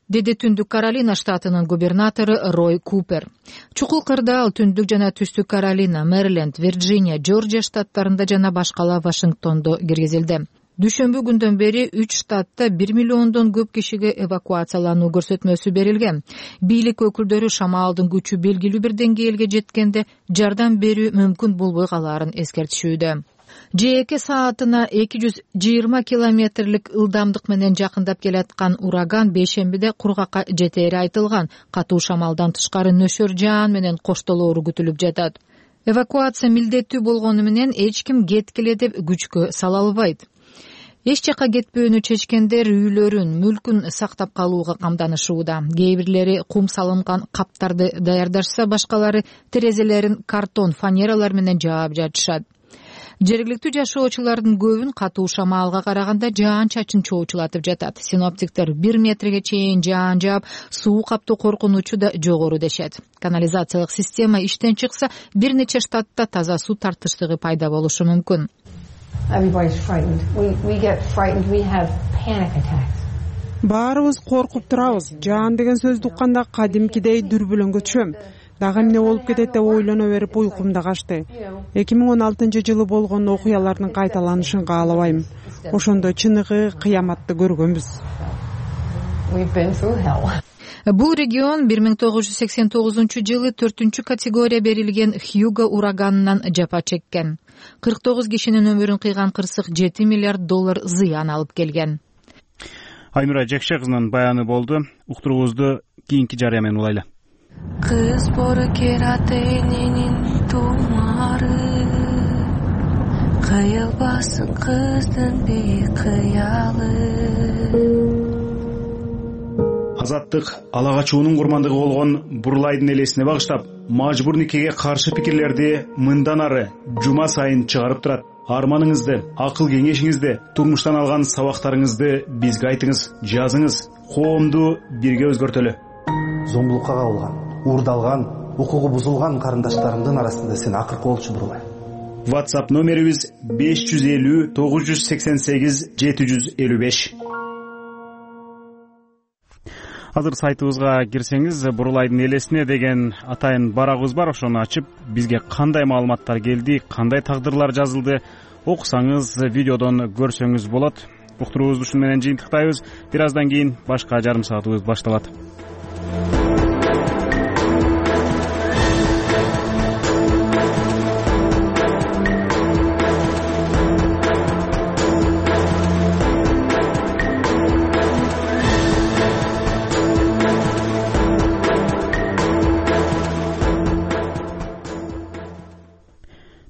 деди Түндүк Каролина штатынын губернатору Рой Купер. Чукул кырдаал Түндүк жана Түштүк Каролина, Мэриленд, Вирджиния, Жоржия штаттарында жана башкала Вашингтондо киргизилди. Дүшөмбү күндөн бери 3 штатта 1 миллиондон көп кишиге эвакуациялануу көрсөтмөсү берилген. Бийлик өкүлдөрү шамалдын күчү белгилүү бир деңгээлге жеткенде жардам берүү мүмкүн болбой калаарын эскертишүүдө. ЖЭК саатына 220 километрлик ылдамдык менен жакындап келаткан ураган бейшембиде кургакка жетери айтылган. Катуу шамалдан тышкары нөшөр жаан менен коштолоору күтүлүп жатат. Эвакуация милдеттүү болгону менен эч ким кеткиле деп күчкө сала албайт. Эч жака кетпөөнү чечкендер үйлөрүн, мүлкүн сактап калууга камданышууда. Кээ бирлери кум салынган каптарды даярдашса, башкалары терезелерин картон, фанералар менен жаап жатышат. Жергиликтүү жашоочулардын көбүн катуу шамалга караганда жаан чачын чоочулатып жатат. Синоптиктер 1 метрге чейин жаан жаап, суу каптоо коркунучу да жогору дешет. Канализациялык система иштен чыкса, бир нече штатта таза суу тартыштыгы пайда болушу мүмкүн. Баарыбыз коркуп турабыз. Жаан деген сөздү укканда кадимкидей дүрбүлөңгө түшөм. Дагы эмне болуп кетет деп ойлоно берип уйкум да качты. 2016-жылы болгон окуялардын кайталанышын каалабайм. Ошондо чыныгы кыяматты көргөнбүз. Бул регион 1989-жылы 4 категория берилген Хьюго ураганынан жапа чеккен. 49 кишинин өмүрүн кыйган кырсык $7 миллиард зыян алып келген. Айнура Жекше кызынын баяны болду. Уктуруубузду кийинки жарыя менен улайлы. Кыз боркер ата эненин тумары, кыйылбасын кыздын бейкыялы. Азаттык ала качуунун курмандыгы болгон Бурлайдын элесине багыштап, мажбур никеге каршы пикирлерди мындан ары жума сайын чыгарып турат. Арманыңызды, акыл кеңешиңизди, турмуштан алган сабактарыңызды бизге айтыңыз, жазыңыз. Коомду бирге өзгөртөлү. Зомбулукка кабылган, уурдалган, укугу бузулган карындаштарымдын арасында сен акыркы болчу Бурлай. WhatsApp номерибиз 550 988 755. Азыр сайтыбызга кирсеңиз, Бурлайдын элесине деген атайын барагыбыз бар. Ошону ачып, бизге кандай маалыматтар келди, кандай тагдырлар жазылды, окусаңыз, видеодон көрсөңүз болот. Уктуруубузду ушун менен жыйынтыктайбыз. Бир аздан кийин башка жарым саатыбыз башталат.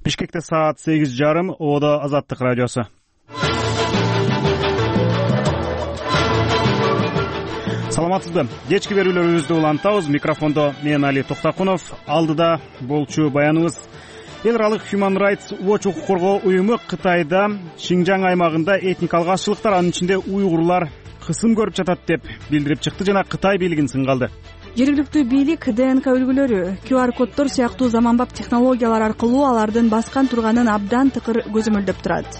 Бишкекте саат 8:30, Оодо Азаттык радиосу. Саламатсызбы? Кечки берүүлөрүбүздү улантабыз. Микрофондо мен Али Токтакунов. Алдыда болчу баяныбыз. Эл аралык Human Rights Watch укук коргоо уюму Кытайда Шинжаң аймагында этникалык азчылыктар, анын ичинде уйгурлар кысым көрүп жатат деп билдирип чыкты жана Кытай бийлигин сынга алды. Жергиликтүү бийлик ДНК үлгүлөрү, QR коддор сыяктуу заманбап технологиялар аркылуу алардын баскан турганын абдан тыкыр көзөмөлдөп турат.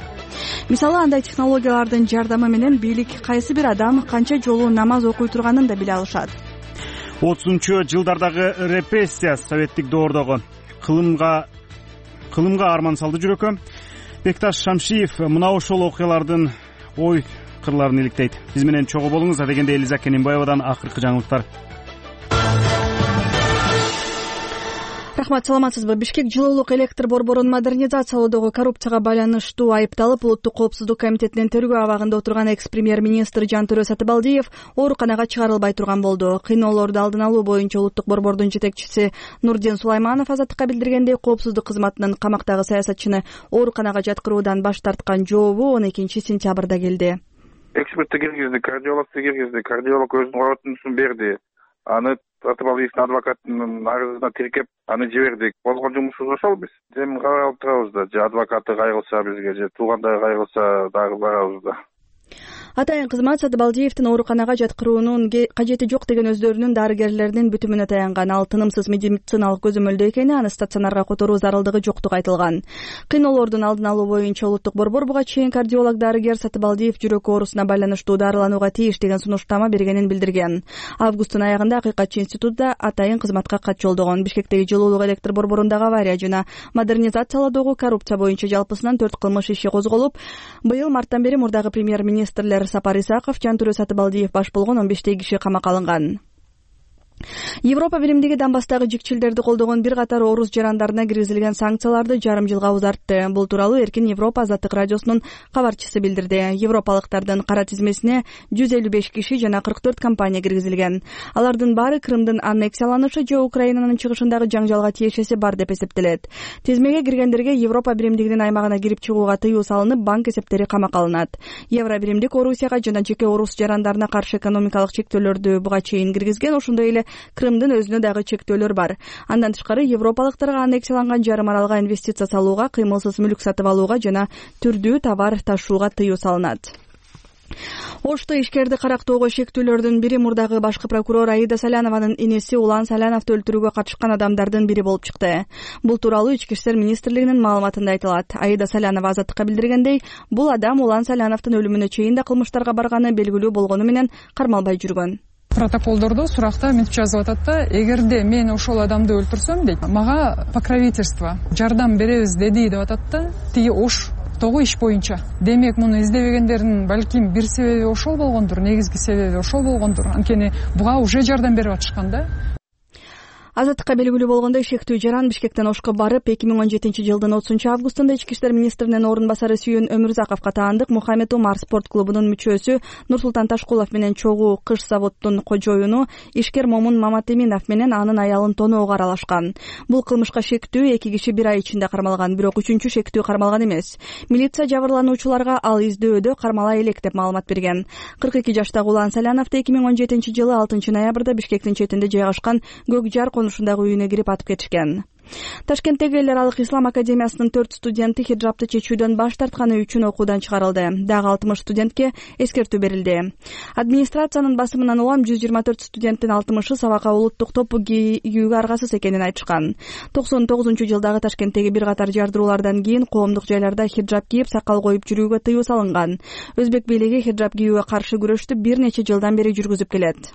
Мисалы, андай технологиялардын жардамы менен бийлик кайсы бир адам канча жолу намаз окуй турганын да биле алышат. 30-жылдардагы репрессия советтик доордогу кылымга арман салды жүрөккө. Бекташ Шамшиев мына ошол окуялардын ой кырларын иликтейт. Биз менен чогуу болуңуз. Адегенде Элиза Кененбаевадан акыркы жаңылыктар. Рахмат, саламатсызбы? Бишкек жылуулук электр борборун модернизациялоодогу коррупцияга байланыштуу айыпталып, Улуттук коопсуздук комитетинин тергөө абагында отурган экс-премьер-министр Жантөрө Сатыбалдиев ооруканага чыгарылбай турган болду. Кыйноолорду алдын алуу боюнча Улуттук борбордун жетекчиси Нурдин Сулайманов Азаттыкка билдиргендей, коопсуздук кызматынын камактагы саясатчыны ооруканага жаткыруудан баш тарткан жообу 12-сентябрда келди. Экспертти киргизди, кардиологду киргизди, кардиолог өзүнүн коротундусун берди. Аны Сатыбалдиевдин адвокатынын арызына тиркеп, аны жибердик. Болгон жумушубуз ошол биз. Земин кабыл алып турабыз да, же адвокаты кайгылса бизге, же туугандары кайгылса дагы барабыз да. Атайын кызмат Сатыбалдиевдин ооруканага жаткыруунун кажети жок деген өздөрүнүн дарыгерлеринин бүтүмүнө таянган. Ал тынымсыз медициналык көзөмөлдөө экени, аны стационарга которуу зарылдыгы жоктугу айтылган. Кыйноолордун алдын алуу боюнча Улуттук борбор буга чейин кардиолог дарыгер Сатыбалдиев жүрөк оорусуна байланыштуу дарыланууга тийиш деген сунуштама бергенин билдирген. Августтун аягында Акыйкатчы институту атайын кызматка кат жолдогон. Бишкектеги жылуулук электр борборундагы авария жана модернизациялоодогу коррупция боюнча жалпысынан 4 кылмыш иши козголуп, быйыл марттан бери мурдагы премьер-министрлер Сапар Исаков, Жантөрө Сатыбалдиев баш болгон 15 киши камакка алынган. Европа биримдиги Донбасстагы жикчилдерди колдогон бир катар орус жарандарына киргизилген санкцияларды жарым жылга узартты. Бул тууралуу Эркин Европа Азаттык радиосунун кабарчысы билдирди. Европалыктардын кара тизмесине 155 киши жана 44 компания киргизилген. Алардын баары Крымдын аннексияланышы же Украинанын чыгышындагы жаңжалга тиешеси бар деп эсептелет. Тизмеге киргендерге Европа биримдигинин аймагына кирип чыгууга тыюу салынып, банк эсептери камакка алынат. Евро биримдик Орусияга жана жеке орус жарандарына каршы экономикалык чектөөлөрдү буга чейин киргизген, ошондой эле Крымдын өзүнө дагы чектөөлөр бар. Андан тышкары европалыктарга аннексияланган жарым аралга инвестиция салууга, кыймылсыз мүлк сатып алууга жана түрдүү товар ташууга тыюу салынат. Ошто ишкерди карактоого шектүүлөрдүн бири мурдагы башкы прокурор Аида Салянованын инеси Улан Саляновду өлтүрүүгө катышкан адамдардын бири болуп чыкты. Бул тууралуу Ички иштер министрлигинин маалыматында айтылат. Аида Салянова Азаттыкка билдиргендей, бул адам Улан Саляновдун өлүмүнө чейин да кылмыштарга барганы белгилүү болгону менен кармалбай жүргөн. Протоколдордо суракта мынтип жазып атат да, эгерде мен ошол адамды өлтүрсөм дейт, мага покровительство, жардам беребиз деди деп атат да, тиги Оштогу иш боюнча. Демек, муну издебегендердин балким бир себеби ошол болгондур, негизги себеби ошол болгондур. Анткени буга уже жардам берип атышкан да. Азаттыкка белгилүү болгондой, шектүү жаран Бишкектен Ошко барып, 2017 жылдын 30 августунда Ички иштер министринин орун басары Сүйүн Өмүрзаковго таандык Мухаммед Умар спорт клубунун мүчөсү Нурсултан Ташкулов менен чогуу кыш заводдун кожоюну ишкер Момун Маматеминов менен анын аялын тоноого аралашкан. Бул кылмышка шектүү 2 киши 1 ай ичинде кармалган, бирок 3-чү шектүү кармалган эмес. Милиция жабырлануучуларга ал издөдө кармала элек деп маалымат берген. 42 жаштагы Улан Саляновду 2017 жылы 6 ноябрда Бишкектин четинде жайгашкан Көк Жар конушундагы үйүнө кирип атып кетишкен. Ташкенттеги Эл аралык ислам академиясынын 4 студенти хиджабты чечүүдөн баш тартканы үчүн окуудан чыгарылды. Дагы 60 студентке эскертүү берилди. Администрациянын басымынан улам 124 студенттин 60-ы сабакка улуттук топу кийүүгө аргасыз экенин айтышкан. 99-жылдагы Ташкенттеги бир катар жардыруулардан кийин коомдук жайларда хиджаб кийип, сакал коюп жүрүүгө тыюу салынган. Өзбек бийлиги хиджаб кийүүгө каршы күрөштү бир нече жылдан бери жүргүзүп келет.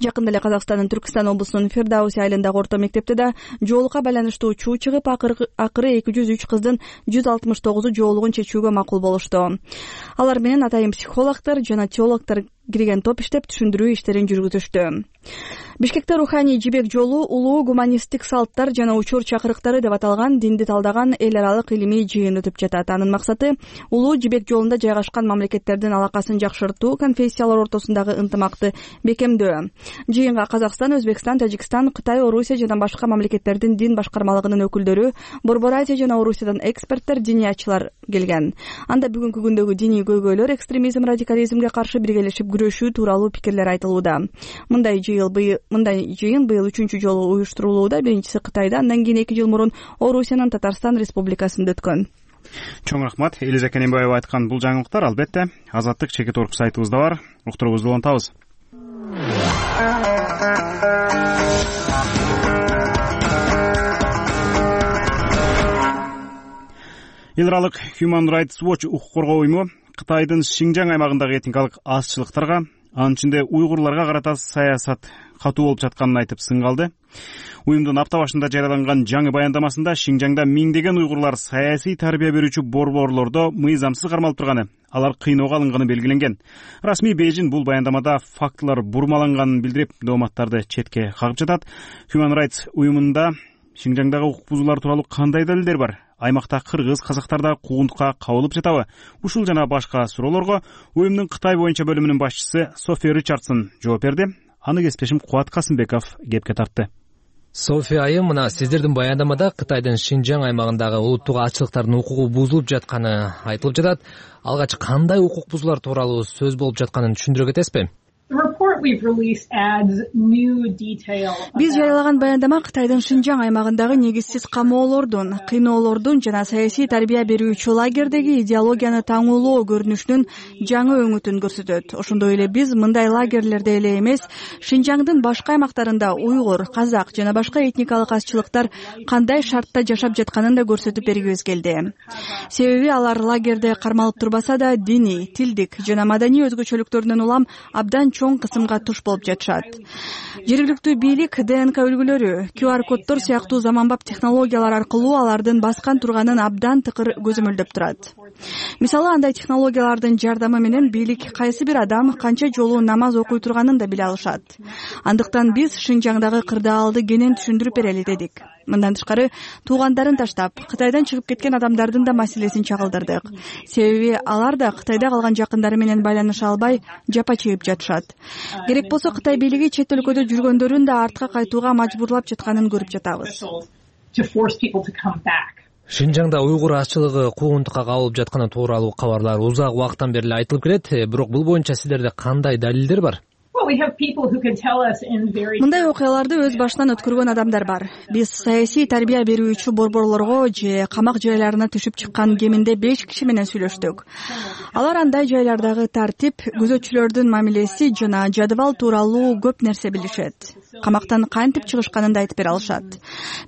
Жакында эле Казакстандын Түркистан облусунун Фердауси айылындагы орто мектепте да жоолукка байланыштуу чуу чыгып, акыры 203 кыздын 169 жоолугун чечүүгө макул болушту. Алар менен атайын психологдор жана теологдор кирген топ иштеп, түшүндүрүү иштерин жүргүзүштү. Бишкекте руханий жибек жолу улуу гуманисттик салттар жана учур чакырыктары деп аталган динди талдаган эл аралык илимий жыйын өтүп жатат. Анын максаты улуу жибек жолунда жайгашкан мамлекеттердин алакасын жакшыртуу, конфессиялар ортосундагы ынтымакты бекемдөө. Жыйынга Казакстан, Өзбекстан, Тажикстан, Кытай, Орусия жана башка мамлекеттердин дин башкармалыгынын өкүлдөрү, Борбор Азия жана Орусиядан эксперттер, диниятчылар келген. Анда бүгүнкү күндөгү диний көйгөйлөр, экстремизм, радикализмге каршы биргелешип күрөшүү тууралуу пикирлер айтылууда. Мындай жыйын быйыл 3-чү жолу уюштурулууда. Биринчиси Кытайда, андан кийин 2 жыл мурун Орусиянын Татарстан Республикасында өткөн. Чоң рахмат. Элиза Кененбаева айткан бул жаңылыктар албетте Азаттык чекит орг сайтыбызда бар. Уктуруубузду улантабыз. Эл аралык Human Rights Watch укук коргоо уюму Кытайдын Шинжаң аймагындагы этникалык азчылыктарга, анын ичинде уйгурларга карата саясат катуу болуп жатканын айтып сын калды. Уюмдун апта башында жарыяланган жаңы баяндамасында Шинжаңда миңдеген уйгурлар саясий тарбия берүүчү борборлордо мыйзамсыз кармалып турганы, алар кыйноого алынганы белгиленген. Расмий Бейжин бул баяндамада фактылар бурмаланганын билдирип, дооматтарды четке кагып жатат. Human Rights уюмунда Шинжаңдагы укук бузуулар тууралуу кандай далилдер бар? Аймакта кыргыз, казактар да куугунтукка кабылып жатабы? Ушул жана башка суроолорго уюмдун Кытай боюнча бөлүмүнүн башчысы София Ричардсон жооп берди. Аны кесиптешим Кубат Касымбеков кепке тартты. София айым, мына сиздердин баяндамада Кытайдын Шинжаң аймагындагы улуттук азчылыктардын укугу бузулуп жатканы айтылып жатат. Алгач кандай укук бузуулар тууралуу сөз болуп жатканын түшүндүрө кетесизби? Биз жарыялаган баяндама Кытайдын Шинжаң аймагындагы негизсиз камоолордун, кыйноолордун жана саясий тарбия берүүчү лагердеги идеологияны таңуулоо көрүнүшүнүн жаңы өңүтүн көрсөтөт. Ошондой эле биз мындай лагерлерде эле эмес, Шинжаңдын башка аймактарында уйгур, казак жана башка этникалык азчылыктар кандай шартта жашап жатканын да көрсөтүп бергибиз келди. Себеби алар лагерде кармалып турбаса да диний, тилдик жана маданий өзгөчөлүктөрүнөн улам абдан чоң кысымга туш болуп жатышат. Жергиликтүү бийлик ДНК үлгүлөрү, QR коддор сыяктуу заманбап технологиялар аркылуу алардын баскан турганын абдан тыкыр көзөмөлдөп турат. Мисалы, андай технологиялардын жардамы менен бийлик кайсы бир адам канча жолу намаз окуй турганын да биле алышат. Андыктан биз Шинжаңдагы кырдаалды кенен түшүндүрүп берели дедик. Мындан тышкары, туугандарын таштап, Кытайдан чыгып кеткен адамдардын да маселесин чагылдырдык. Себеби алар да Кытайда калган жакындары менен байланыша албай, жапа чегип жатышат. Керек болсо Кытай бийлиги чет өлкөдө жүргөндөрүн да артка кайтууга мажбурлап жатканын көрүп жатабыз. Шинжаңда уйгур азчылыгы куугунтукка кабылып жатканы тууралуу кабарлар узак убакыттан бери айтылып келет. Бирок бул боюнча сиздерде кандай далилдер бар? Мындай окуяларды өз башынан өткөргөн адамдар бар. Биз саясий тарбия берүүчү борборлорго же камак жайларына түшүп чыккан кеминде 5 киши менен сүйлөштүк. Алар андай жайлардагы тартип, күзөтчүлөрдүн мамилеси жана жадыбал тууралуу көп нерсе билишет. Камактан кантип чыгышканын да айтып бере алышат.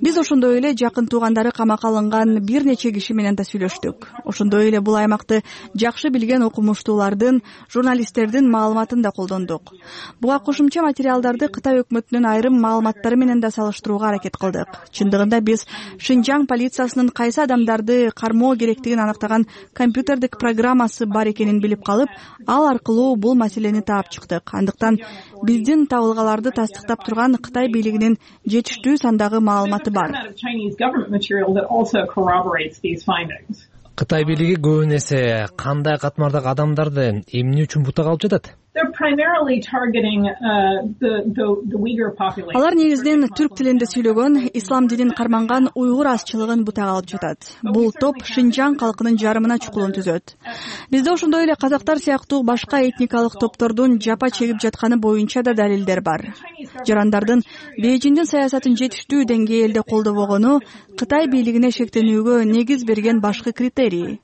Биз ошондой эле жакын туугандары камакка алынган бир нече киши менен да сүйлөштүк. Ошондой эле бул аймакты жакшы билген окумуштуулардын, журналисттердин маалыматын да колдондук. Буга кошумча материалдарды Кытай өкмөтүнүн айрым маалыматтары менен да салыштырууга аракет кылдык. Чындыгында биз Шинжаң полициясынын кайсы адамдарды кармоо керектигин аныктаган компьютердик программасы бар экенин билип калып, ал аркылуу бул маселени таап чыктык. Андыктан биздин табылгаларды тастыктап турган турган Кытай бийлигинин жетиштүү сандагы маалыматы бар. Кытай бийлиги көбүн эсе кандай катмардагы адамдарды эмне үчүн бутага алып жатат? Алар негизинен түрк тилинде сүйлөгөн, ислам динин карманган уйгур азчылыгын бутага алып жатат. Бул топ Шинжаң калкынын жарымына чукулун түзөт. Бизде ошондой эле казактар сыяктуу башка этникалык топтордун жапа чегип жатканы боюнча да далилдер бар. Жарандардын Бейжиңдин саясатын жетиштүү деңгээлде колдобогону Кытай бийлигине шектенүүгө негиз берген башкы критерий.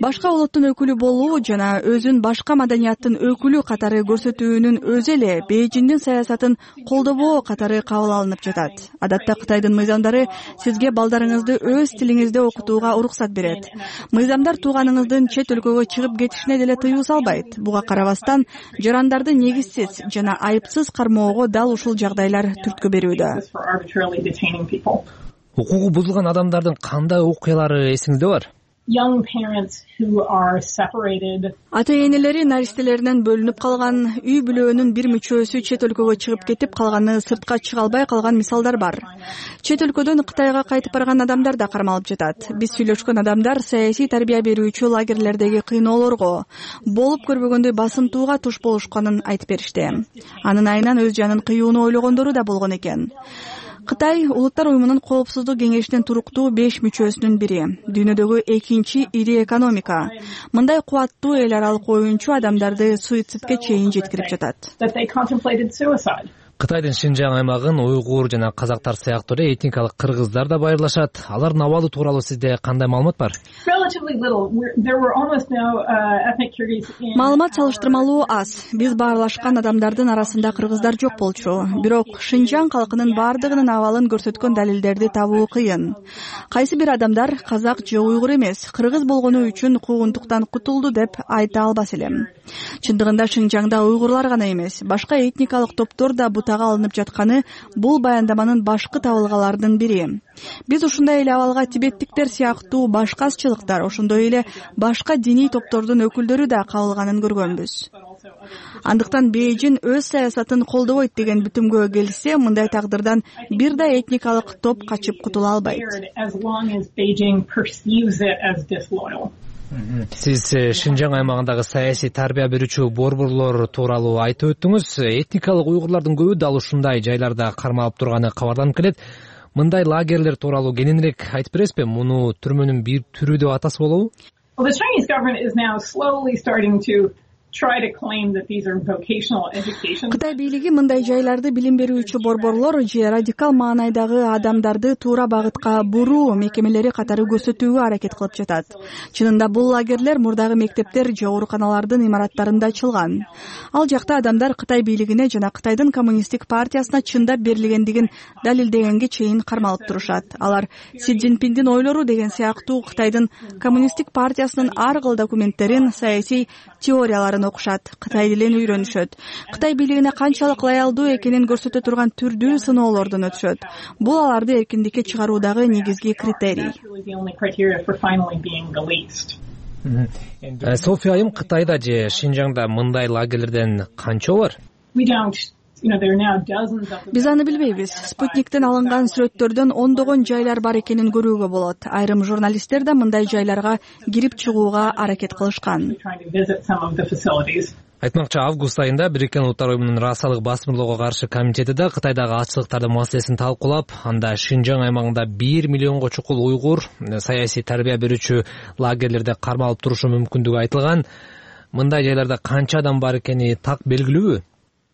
Башка улуттун өкүлү болуу жана өзүн башка маданияттын өкүлү катары көрсөтүүнүн өзү эле Бейжиңдин саясатын колдобоо катары кабыл алынып жатат. Адатта Кытайдын мыйзамдары сизге балдарыңызды өз тилиңизде окутууга уруксат берет. Мыйзамдар тууганыңыздын чет өлкөгө чыгып кетишине деле тыюу салбайт. Буга карабастан жарандарды негизсиз жана айыпсыз кармоого дал ушул жагдайлар түрткү берүүдө. Укугу бузулган адамдардын кандай окуялары эсиңизде бар? Ата-энелери наристелеринен бөлүнүп калган, үй бүлөөнүн бир мүчөсү чет өлкөгө чыгып кетип калганы, сыртка чыга албай калган мисалдар бар. Чет өлкөдөн Кытайга кайтып барган адамдар да кармалып жатат. Биз сүйлөшкөн адамдар саясий тарбия берүүчү лагерлердеги кыйноолорго, болуп көрбөгөндөй басымтууга туш болушканын айтып беришти. Анын айынан өз жанын кыюуну ойлогондору да болгон экен. Кытай Улуттар уюмунун коопсуздук кеңешинин туруктуу 5 мүчөсүнүн бири. Дүйнөдөгү экинчи ири экономика. Мындай кубаттуу эл аралык оюнчу адамдарды суицидке чейин жеткирип жатат. Кытайдын Шинжаң аймагын уйгур жана казактар сыяктуу эле этникалык кыргыздар да байырлашат. Алардын абалы тууралуу сизде кандай маалымат бар? Маалымат салыштырмалуу аз. Биз баарлашкан адамдардын арасында кыргыздар жок болчу. Бирок Шинжаң калкынын бардыгынын абалын көрсөткөн далилдерди табуу кыйын. Кайсы бир адамдар казак же уйгур эмес, кыргыз болгону үчүн куугунтуктан кутулду деп айта албас элем. Чындыгында Шинжаңда уйгурлар гана эмес, башка этникалык топтор да алынып жатканы бул баяндаманын башкы табылгаларынын бири. Биз ушундай эле абалга тибеттиктер сыяктуу башка азчылыктар, ошондой эле башка диний топтордун өкүлдөрү да кабылганын көргөнбүз. Андыктан Бейжиң өз саясатын колдобойт деген бүтүмгө келсе, мындай тагдырдан бир да этникалык топ качып кутула албайт. Сиз Шинжаң аймагындагы саясий тарбия берүүчү борборлор тууралуу айтып өттүңүз. Этникалык уйгурлардын көбү дал ушундай жайларда кармалып турганы кабарланып келет. Мындай лагерлер тууралуу кененирээк айтып бересизби? Муну түрмөнүн бир түрү деп атасы болобу? Кытай бийлиги мындай жайларды билим берүүчү борборлор же радикал маанайдагы адамдарды туура багытка буруу мекемелери катары көрсөтүүгө аракет кылып жатат. Чынында бул лагерлер мурдагы мектептер же ооруканалардын имараттарында ачылган. Ал жакта адамдар Кытай бийлигине жана Кытайдын коммунисттик партиясына чындап берилгендигин далилдегенге чейин кармалып турушат. Алар Си Цзиньпиндин ойлору деген сыяктуу Кытайдын коммунисттик партиясынын ар кыл документтерин, саясий теорияларын окушат, Кытай тилин үйрөнүшөт. Кытай бийлигине канчалык лоялдуу экенин көрсөтө турган түрдүү сыноолордон өтүшөт. Бул аларды эркиндикке чыгаруудагы негизги критерий. София айым, Кытайда же Шинжаңда мындай лагерлерден канча бар? Биз аны билбейбиз. Спутниктен алынган сүрөттөрдөн ондогон жайлар бар экенин көрүүгө болот. Айрым журналисттер да мындай жайларга кирип чыгууга аракет кылышкан. Айтмакчы, август айында Бириккен Улуттар уюмунун расалык басмырлоого каршы комитети да Кытайдагы ачылыктардын маселесин талкуулап, анда Шинжаң аймагында 1 миллионго чукул уйгур саясий тарбия берүүчү лагерлерде кармалып турушу мүмкүндүгү айтылган. Мындай жайларда канча адам бар экени так белгилүүбү?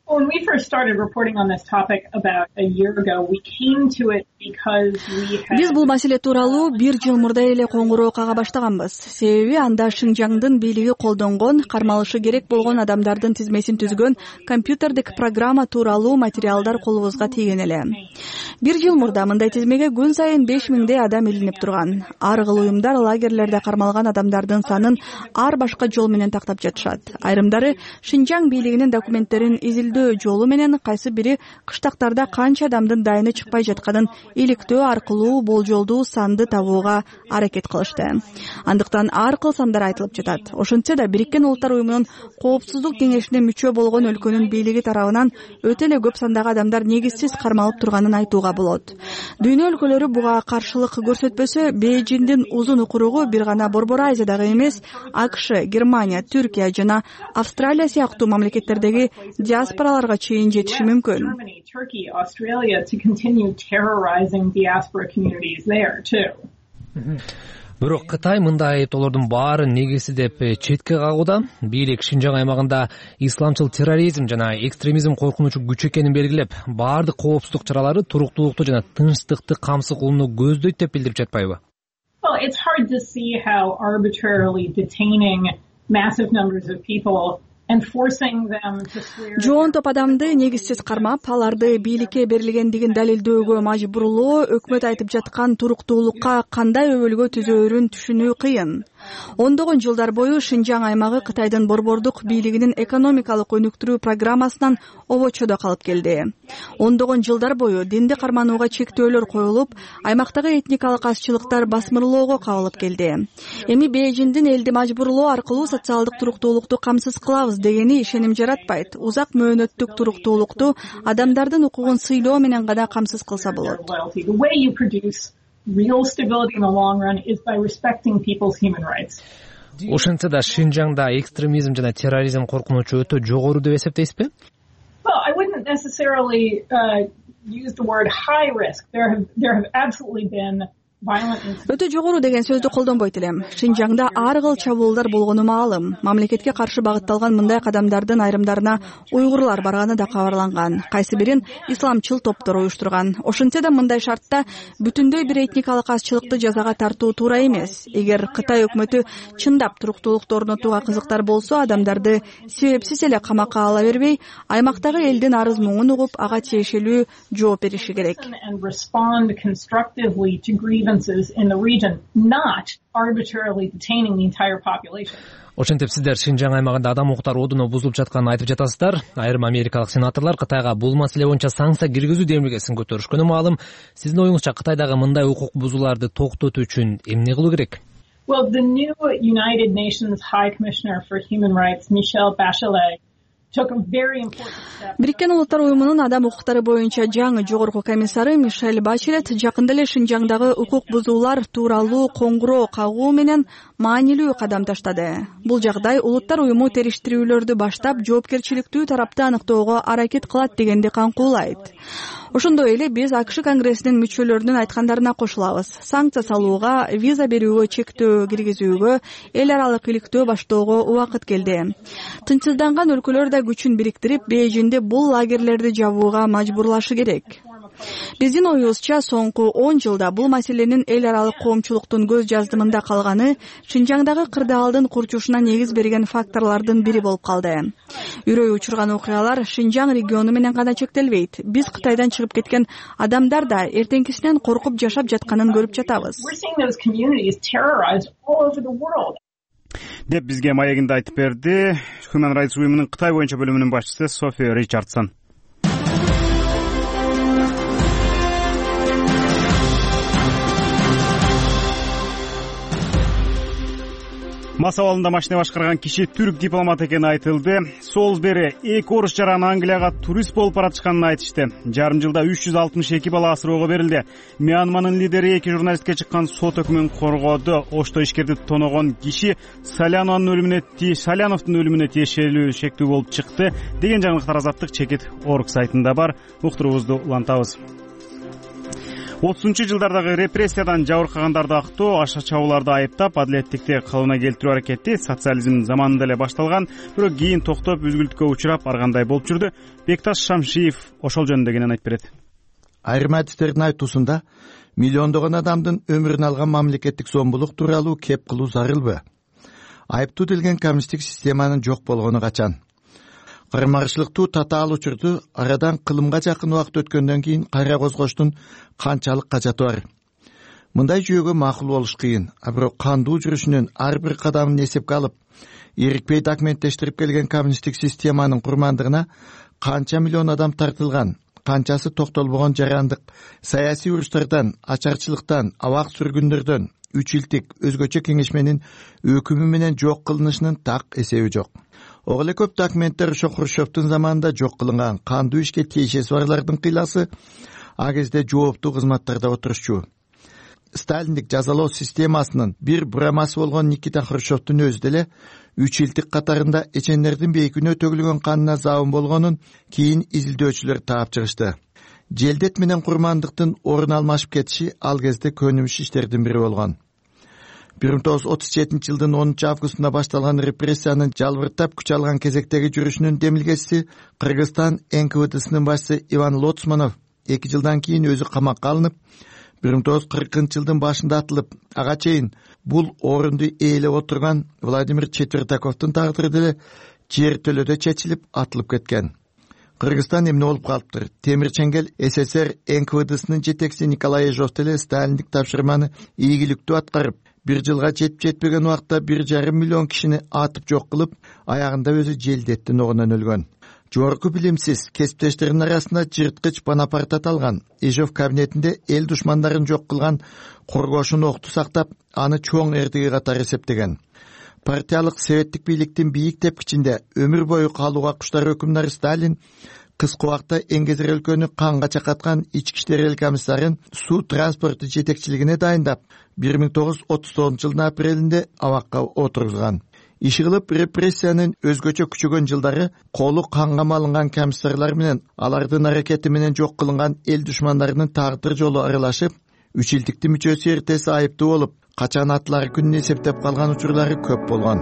When we first started reporting on this topic about a year ago, we came to it because we had... Биз бул маселе тууралуу 1 жыл мурда эле коңгуроо кага баштаганбыз. Себеби анда Шинжаңдын бийлиги колдонгон, кармалышы керек болгон адамдардын тизмесин түзгөн компьютердик программа тууралуу материалдар колубузга тийген эле. 1 жыл мурда мындай тизмеге күн сайын 5000 адам илинип турган. Ар кыл уюмдар лагерлерде кармалган адамдардын санын ар башка жол менен тактап жатышат. Айрымдары Шинжаң бийлигинин документтерин изилдөө далилдөө жолу менен кайсы бири кыштактарда канча адамдын дайыны чыкпай жатканын иликтөө аркылуу болжолдуу санды табууга аракет кылышты. Андыктан ар кыл сандар айтылып жатат. Ошентсе да Бириккен Улуттар уюмунун Коопсуздук кеңешине мүчө болгон өлкөнүн бийлиги тарабынан өтө эле көп сандагы адамдар негизсиз кармалып турганын айтууга болот. Дүйнө өлкөлөрү буга каршылык көрсөтпөсө, Бейжиңдин узун укуругу бир гана Борбор Азиядагы эмес, АКШ, Германия, Түркия жана Австралия сыяктуу мамлекеттердеги диаспораларга чейин жетиши мүмкүн. Бирок Кытай мындай айыптоолордун баарын негизсиз деп четке кагууда. Бийлик Шинжаң аймагында исламчыл терроризм жана экстремизм коркунучу күч экенин белгилеп, баардык коопсуздук чаралары туруктуулукту жана тынчтыкты камсыз кылууну көздөйт деп билдирип жатпайбы? Well, it's hard to see how arbitrarily detaining massive numbers of people and forcing them to swear. Жоон топ адамды негизсиз кармап, аларды бийликке берилгендигин далилдөөгө мажбурлоо өкмөт айтып жаткан туруктуулукка кандай өбөлгө түзөөрүн түшүнүү кыйын. Ондогон жылдар бою Шинжаң аймагы Кытайдын борбордук бийлигинин экономикалык өнүктүрүү программасынан обочодо калып келди. Ондогон жылдар бою динди карманууга чектөөлөр коюлуп, аймактагы этникалык азчылыктар басмырлоого кабылып келди. Эми Бейжиңдин элди мажбурлоо аркылуу социалдык туруктуулукту камсыз кылабыз дегени ишеним жаратпайт. Узак мөөнөттүк туруктуулукту адамдардын укугун сыйлоо менен гана камсыз кылса болот. Real stability in the long run is by respecting people's human rights. Ошентсе да Шинжаңда экстремизм жана терроризм коркунучу өтө жогору деп эсептейсизби? Well, I wouldn't necessarily use the word high risk. There have absolutely been Өтө жогору деген сөздү колдонбойт элем. Шинжаңда ар кыл чабуулдар болгону маалым. Мамлекетке каршы багытталган мындай кадамдардын айрымдарына уйгурлар барганы да кабарланган. Кайсы бирин исламчыл топтор уюштурган. Ошентсе да мындай шартта бүтүндөй бир этникалык азчылыкты жазага тартуу туура эмес. Эгер Кытай өкмөтү чындап туруктуулукту орнотууга кызыктар болсо, адамдарды себепсиз эле камакка ала бербей, аймактагы элдин арыз муңун угуп, ага тиешелүү жооп бериши керек. In the region, not arbitrarily detaining the entire population. Ошентип сиздер Шинжаң аймагында адам укуктары одуну бузулуп жатканын айтып жатасыздар. Айрым америкалык сенаторлор Кытайга бул маселе боюнча санкция киргизүү демилгесин көтөрүшкөнү маалым. Сиздин оюңузча Кытайдагы мындай укук бузууларды токтотуу үчүн эмне кылуу керек? Well, the new United Nations High Commissioner for Human Rights, Michelle Bachelet, Бириккен Улуттар уюмунун адам укуктары боюнча жаңы жогорку комиссары Мишель Бачелет жакында эле Шинжаңдагы укук бузуулар тууралуу коңгуроо кагуу менен маанилүү кадам таштады. Бул жагдай Улуттар уюму териштирүүлөрдү баштап жоопкерчиликтүү тарапты аныктоого аракет кылат дегенди камкуулайт. Ошондой эле биз АКШ Конгрессинин мүчөлөрүнүн айткандарына кошулабыз. Санкция салууга, виза берүүгө чектөө киргизүүгө, эл аралык иликтөө баштоого убакыт келди. Тынчсызданган өлкөлөр да күчүн бириктирип, Бейжиңди бул лагерлерди жабууга мажбурлашы керек. Биздин оюбузча соңку 10 жылда бул маселенин эл аралык коомчулуктун көз жаздымында калганы Шинжаңдагы кырдаалдын курчушуна негиз берген факторлордун бири болуп калды. Үрөй учурган окуялар Шинжаң региону менен гана чектелбейт. Биз Кытайдан чыгып кеткен адамдар да эртеңкисинен коркуп жашап жатканын көрүп жатабыз. Деп бизге маегинде айтып берди Human Rights уюмунун Кытай боюнча бөлүмүнүн башчысы Софи Ричардсон. Мас абалында машина башкарган киши түрк дипломаты экени айтылды. Солсбери эки орус жаран Англияга турист болуп баратышканын айтышты. Жарым жылда 362 бала асыроого берилди. Мьянманын лидери эки журналистке чыккан сот өкүмүн коргоду. Ошто ишкерди тоногон киши Саляновдун өлүмүнө тиешелүү шектүү болуп чыкты деген жаңылыктар Азаттык чекит орг сайтында бар. Уктуруубузду улантабыз. 30-жылдардагы репрессиядан жабыркагандарды актоо, аша чабууларды айыптап, адилеттикти калыбына келтирүү аракети социализм заманында эле башталган, бирок кийин токтоп, үзгүлтүккө учурап, ар кандай болуп жүрдү. Бекташ Шамшиев ошол жөнүндө кенен айтып берет. Айрым адистердин айтуусунда миллиондогон адамдын өмүрүн алган мамлекеттик зомбулук тууралуу кеп кылуу зарылбы? Айыптуу делген коммунисттик системанын жок болгону качан? Кармарчылыктуу татаал учурду арадан кылымга жакын убакыт өткөндөн кийин кайра козгоштун канчалык кажаты бар? Мындай жүйөгө макул болуш кыйын, бирок кандуу жүрүшүнүн ар бир кадамын эсепке алып, эрикпей документтештирип келген коммунисттик системанын курмандыгына канча миллион адам тартылган, канчасы токтолбогон жарандык саясий уруштардан, ачарчылыктан, абак сүргүндөрдөн, 3 жылдык өзгөчө кеңешменин өкүмү менен жок кылынышынын так эсеби жок. Ого эле көп документтер ошо Хрущевдун заманында жок кылынган кандуу ишке тиешеси барлардын кыйласы а кезде жооптуу кызматтарда отурушчу. Сталиндик жазалоо системасынын бир бурамасы болгон Никита Хрущевдун өзү деле 3 жылдык катарында эчендердин бейкүнөө төгүлгөн канына забын болгонун кийин изилдөөчүлөр таап чыгышты. Желдет менен курмандыктын орун алмашып кетиши ал кезде көнүмүш иштердин бири болгон. 1937 жылдын 10 августунда башталган репрессиянын жалбыртап күч алган кезектеги жүрүшүнүн демилгеси Кыргызстан НКВДсынын башчысы Иван Лоцманов 2 жылдан кийин өзү камакка алынып, 1940-жылдын башында атылып, ага чейин бул орунду ээлеп отурган Владимир Четвертаковдун тагдыры деле жер төлөдө чечилип атылып кеткен. Кыргызстан эмне болуп калыптыр? Темир Чеңгел СССР НКВДсынын жетекчиси Николай Ежов деле сталиндик тапшырманы ийгиликтүү аткарып, 1 жылга жетпеген убакта 1,5 миллион кишини атып жок кылып, аягында өзү желдеттин огунан өлгөн. Жогорку билимсиз кесиптештеринин арасында жырткыч Бонапарт аталган. Ежов кабинетинде эл душмандарын жок кылган коргоошун окту сактап, аны чоң эрдиги катары эсептеген. Партиялык советтик бийликтин бийик тепкичинде өмүр бою калууга куштар өкүмдар Сталин кыска убакта Эңгезер өлкөнү канга чакаткан ички иштер эл комиссарын суу транспорту жетекчилигине дайындап, 1939 жылдын апрелинде абакка отургузган. Иши кылып репрессиянын өзгөчө күчөгөн жылдары колу канга малынган комиссарлар менен алардын аракети менен жок кылынган эл душмандарынын тагдыр жолу аралашып, 3 жылдыктын мүчөсү эртеси айыптуу болуп, качан атылары күнүн эсептеп калган учурлары көп болгон.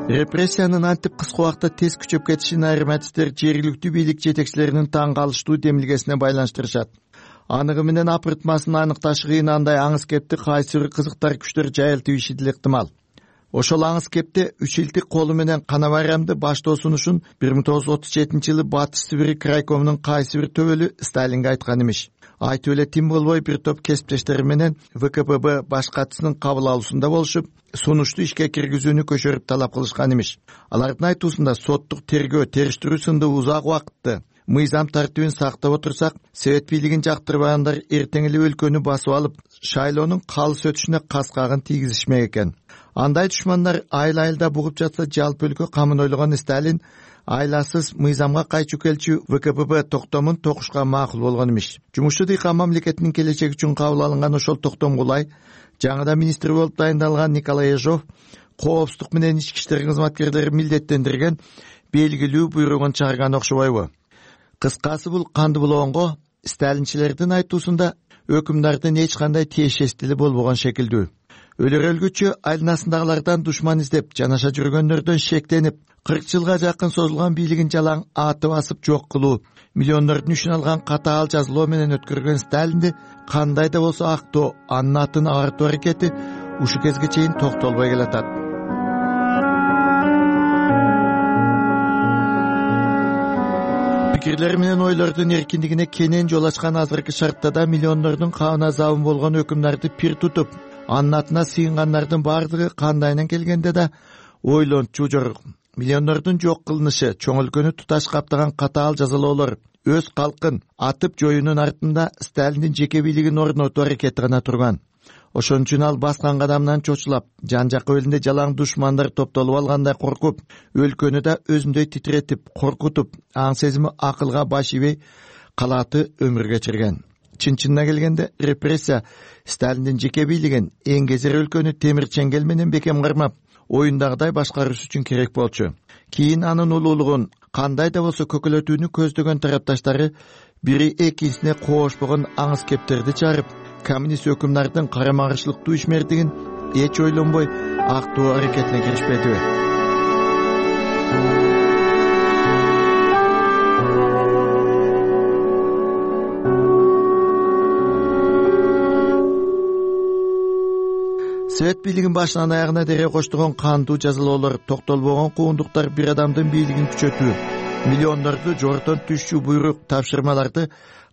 Репрессиянын антип кыска убакта тез күчөп кетишин айрым адистер жергиликтүү бийлик жетекчилеринин таң калыштуу демилгесине байланыштырышат. Аныгы менен апыртмасын аныкташ кыйын андай аңыз кепти кайсы бир кызыктар күчтөр жайылтып иши деле ыктымал. Ошол аңыз кепте 3 жылдык колу менен кана байрамды баштоо сунушун 1937 жылы Батыш Сибирь крайкомунун кайсы бир төбөлү Сталинге айткан имиш. Айтып эле тим болбой бир топ кесиптештери менен ВКПБ баш катчысынын кабыл алуусунда болушуп, сунушту ишке киргизүүнү көчөрүп талап кылышкан имиш. Алардын айтуусунда соттук тергөө, териштирүү сынды узак убакытты мыйзам тартибин сактап отурсак, совет бийлигин жактырбагандар эртең эле өлкөнү басып алып, шайлоонун калыс өтүшүнө каскагын тийгизишмек экен. Андай душмандар айыл-айылда бугуп жатса, жалпы өлкө камын ойлогон Сталин айласыз мыйзамга кайчу келчү ВКПБ токтомун токушка макул болгон имиш. Жумушчу дыйкан мамлекетинин келечеги үчүн кабыл алынган ошол токтом кулай жаңыдан министр болуп дайындалган Николай Ежов коопсуздук менен ички иштер кызматкерлери милдеттендирген белгилүү буйругун чыгарган окшобойбу? Кыскасы бул канды булоонго сталинчилердин айтуусунда өкүмдардын эч кандай тиешеси деле болбогон шекилдүү. Өлөр өлгүчө айланасындагылардан душман издеп, жанаша жүргөндөрдөн шектенип, 40 жылга жакын созулган бийлигин жалаң аты басып жок кылуу, миллиондордун үчүн алган катаал жазалоо менен өткөргөн Сталинди кандай да болсо актоо, анын атын агартуу аракети ушу кезге чейин токтолбой келатат. Пикирлер менен ойлордун эркиндигине кенен жол ачкан азыркы шартта да миллиондордун кабына забын болгон өкүмдарды пир тутуп, анын атына сыйынгандардын бардыгы кандайынан келгенде да ойлончу жорук. Миллиондордун жок кылынышы, чоң өлкөнү туташ каптаган катаал жазалоолор, өз калкын атып жоюунун артында Сталиндин жеке бийлигин орнотуу аракети гана турган. Ошон үчүн ал баскан кадамынан чочулап, жан жакка элинде жалаң душмандар топтолуп алгандай коркуп, өлкөнү да өзүндөй титиретип, коркутуп, аң сезими акылга баш ийбей калааты өмүр кечирген. Чын-чынына келгенде репрессия Сталиндин жеке бийлигин, Эңгезер өлкөнү темир чеңгел менен бекем кармап, оюндагыдай башкарыш үчүн керек болчу. Кийин анын улуулугун кандай да болсо көкөлөтүүнү көздөгөн тарапташтары бири экинчисине коошпогон аңыз кептерди чыгарып, коммунист өкүмдардын карама-каршылыктуу ишмердигин эч ойлонбой актоо аракетине киришпедиби? Совет бийлигин башынан аягына дере коштогон кандуу жазалоолор, токтолбогон куундуктар бир адамдын бийлигин күчөтүү, миллиондорду жортон түшчү буйрук, тапшырмаларды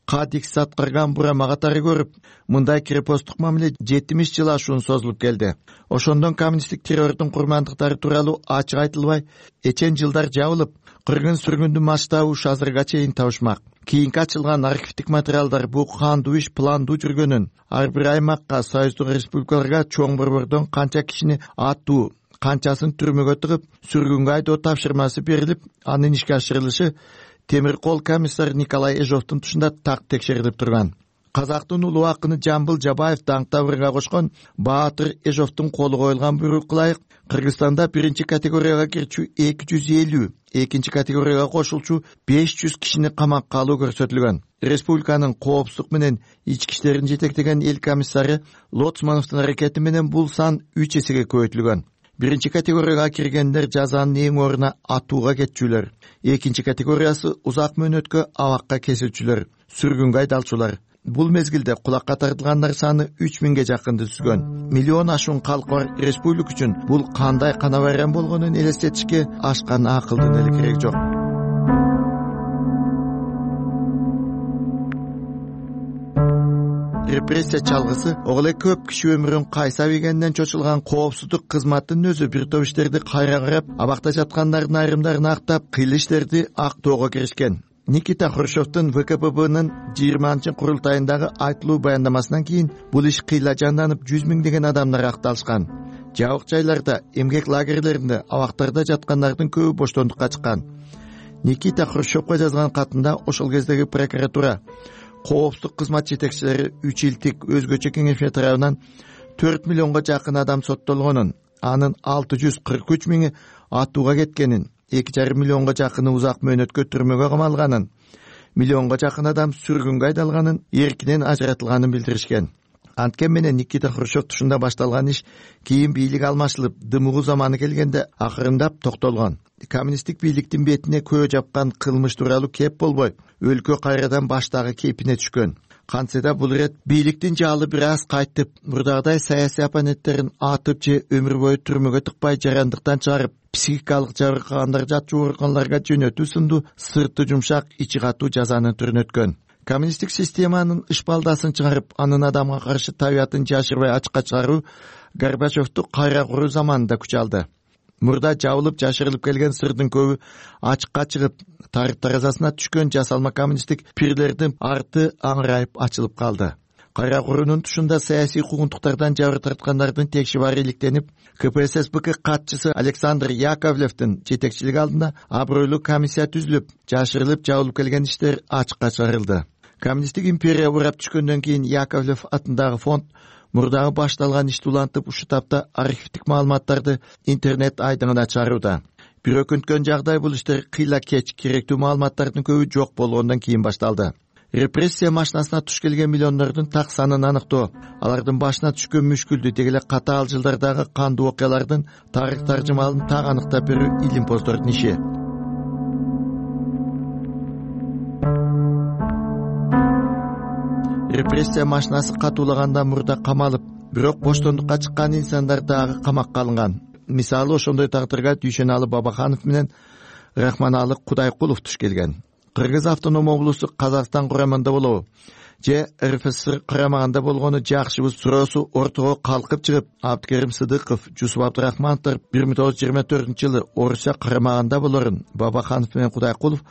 кадикс аткарган бурама катары көрүп, мындай крепосттук мамиле 70 жыл ашуун созулуп келди. Ошондон коммунисттик террордун курмандыктары тууралуу ачык айтылбай, эчен жылдар жабылып, кыргын-сүргүндүн масштабы ушу азырга чейин табышмак. Кийинки ачылган архивдик материалдар бул кандуу иш пландуу жүргөнүн, ар бир аймакка, союздук республикаларга чоң борбордон канча кишини аттуу, канчасын түрмөгө тыгып, сүргүнгө айдоо тапшырмасы берилип, анын ишке ашырылышы темир кол комиссар Николай Эжовдун тушунда так текшерилип турган. Казактын улуу акыны Жамбыл Жабаев даңк табырга кошкон Баатыр Эжовдун колу коюлган буйрукка ылайык Кыргызстанда биринчи категорияга кирчү 250, экинчи категорияга кошулчу 500 кишини камакка алуу көрсөтүлгөн. Республиканын коопсуздук менен ички иштерин жетектеген эл комиссары Лоцмановдун аракети менен бул сан 3 эсеге көбөйтүлгөн. Биринчи категорияга киргендер жазанын эң ордуна атууга кетчүлөр. Экинчи категориясы узак мөөнөткө абакка кесилчүлөр, сүргүнгө айдалчулар. Бул мезгилде кулакка тартылгандар саны 3000ге жакынды түзгөн. Миллион ашуун калкы бар республика үчүн бул кандай кана байрам болгонун элестетишке ашкан акылдын эле кереги жок. Репрессия чалгысы оголе көп киши өмүрүн кайсап ийгенден чочулган коопсуздук кызматтын өзү бир топ иштерди кайра карап, абакта жаткандардын айрымдарын актап, кыйыл иштерди актоого киришкен. Никита Хрущевдун ВКПБнын 20-курултайындагы айтылуу баяндамасынан кийин бул иш кыйла жанданып, 100 миңдеген адамдар акталышкан. Жабык жайларда, эмгек лагерлеринде, абактарда жаткандардын көбү боштондукка чыккан. Никита Хрущевго жазган катында ошол кездеги прокуратура, коопсуздук кызмат жетекчилери 3 илтик өзгөчө кеңешме тарабынан 4 миллионго жакын адам соттолгонун, анын 643 миңи атууга кеткенин, 2,5 миллионго жакыны узак мөөнөткө түрмөгө камалганын, миллионго жакын адам сүргүнгө айдалганын, эркинен ажыратылганын билдиришкен. Анткен менен Никита Хрущев тушунда башталган иш кийин бийлик алмашылып, дымыгуу заманы келгенде акырындап токтолгон. Коммунисттик бийликтин бетине көө жапкан кылмыш тууралуу кеп болбой, өлкө кайрадан баштагы кейпине түшкөн. Кантсе да бул ирет бийликтин жаалы бир аз кайтып, мурдагыдай саясий оппоненттерин атып же өмүр бою түрмөгө тыкпай жарандыктан чыгарып, психикалык жабыркагандар жатчу ооруканаларга жөнөтүү сынду сырты жумшак, ичи катуу жазанын түрүнө өткөн. Коммунисттик системанын ышпалдасын чыгарып, анын адамга каршы табиятын жашырбай ачыкка чыгаруу Горбачевду кайра куруу заманында күч алды. Мурда жабылып жашырылып келген сырдын көбү ачыкка чыгып, тарых таразасына түшкөн жасалма коммунисттик пирлердин арты аңырайып ачылып калды. Кайра куруунун тушунда саясий куугунтуктардан жабыр тарткандардын текши баары иликтенип, КПССБК катчысы Александр Яковлевдин жетекчилиги алдында абройлуу комиссия түзүлүп, жашырылып жабылып келген иштер ачыкка чыгарылды. Коммунисттик империя урап түшкөндөн кийин Яковлев атындагы фонд мурдагы башталган ишти улантып, ушу тапта архивдик маалыматтарды интернет айдыңына чыгарууда. Бир өкүнткөн жагдай бул иштер кыйла кеч, керектүү маалыматтардын көбү жок болгондон кийин башталды. Репрессия машинасына туш келген миллиондордун так санын аныктоо, алардын башына түшкөн мүшкүлдү, дегеле катаал жылдардагы кандуу окуялардын тарых таржымалын так аныктап берүү илимпоздордун иши. Репрессия машинасы катуулаганда мурда камалып, бирок боштондукка чыккан инсандар дагы камакка алынган. Мисалы, ошондой тагдырга Дүйшөналы Бабаханов менен Рахманалы Кудайкулов туш келген. Кыргыз автоном облусу Казакстан курамында болобу же РФСР курамагында болгону жакшыбы суроосу ортого калкып чыгып, Абдыкерим Сыдыков, Жусуп Абдырахмановдор 1924-жылы Орусия курамагында болорун, Бабаханов менен Кудайкулов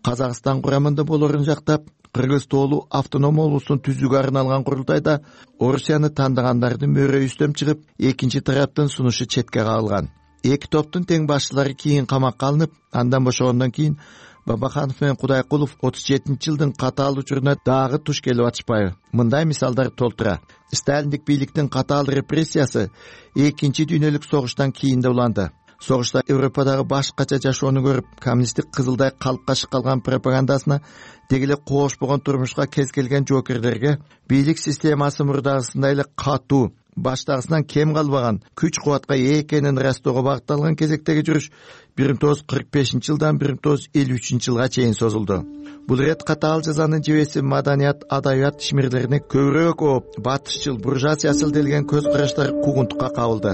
Казакстан курамында болорун жактап, Кыргыз тоолуу автоном облустун түзүүгө арналган курултайда Орусияны тандагандардын мөөрөй үстөм чыгып, экинчи тараптын сунушу четке кагылган. Эки топтун тең башчылары кийин камакка алынып, андан бошогондон кийин Бабаханов менен Кудайкулов 37-жылдын катаал учуруна дагы туш келип атышпайбы? Мындай мисалдар толтура. Сталиндик бийликтин катаал репрессиясы экинчи дүйнөлүк согуштан кийин да уланды. Согушта Европадагы башкача жашоону көрүп, коммунисттик кызылдай калпка калган пропагандасына, дегеле коошпогон турмушка кез келген жоокерлерге бийлик системасы мурдагысындай эле катуу, баштагысынан кем калбаган, күч кубатка ээ экенин ырастоого багытталган кезектеги жүрүш 1945-жылдан 1953-жылга чейин созулду. Бул ирет катаал жазанын жебеси маданият, адабият ишмерлерине көбүрөөк ооп, батышчыл, буржуазиячыл делген көз караштар куугунтукка кабылды.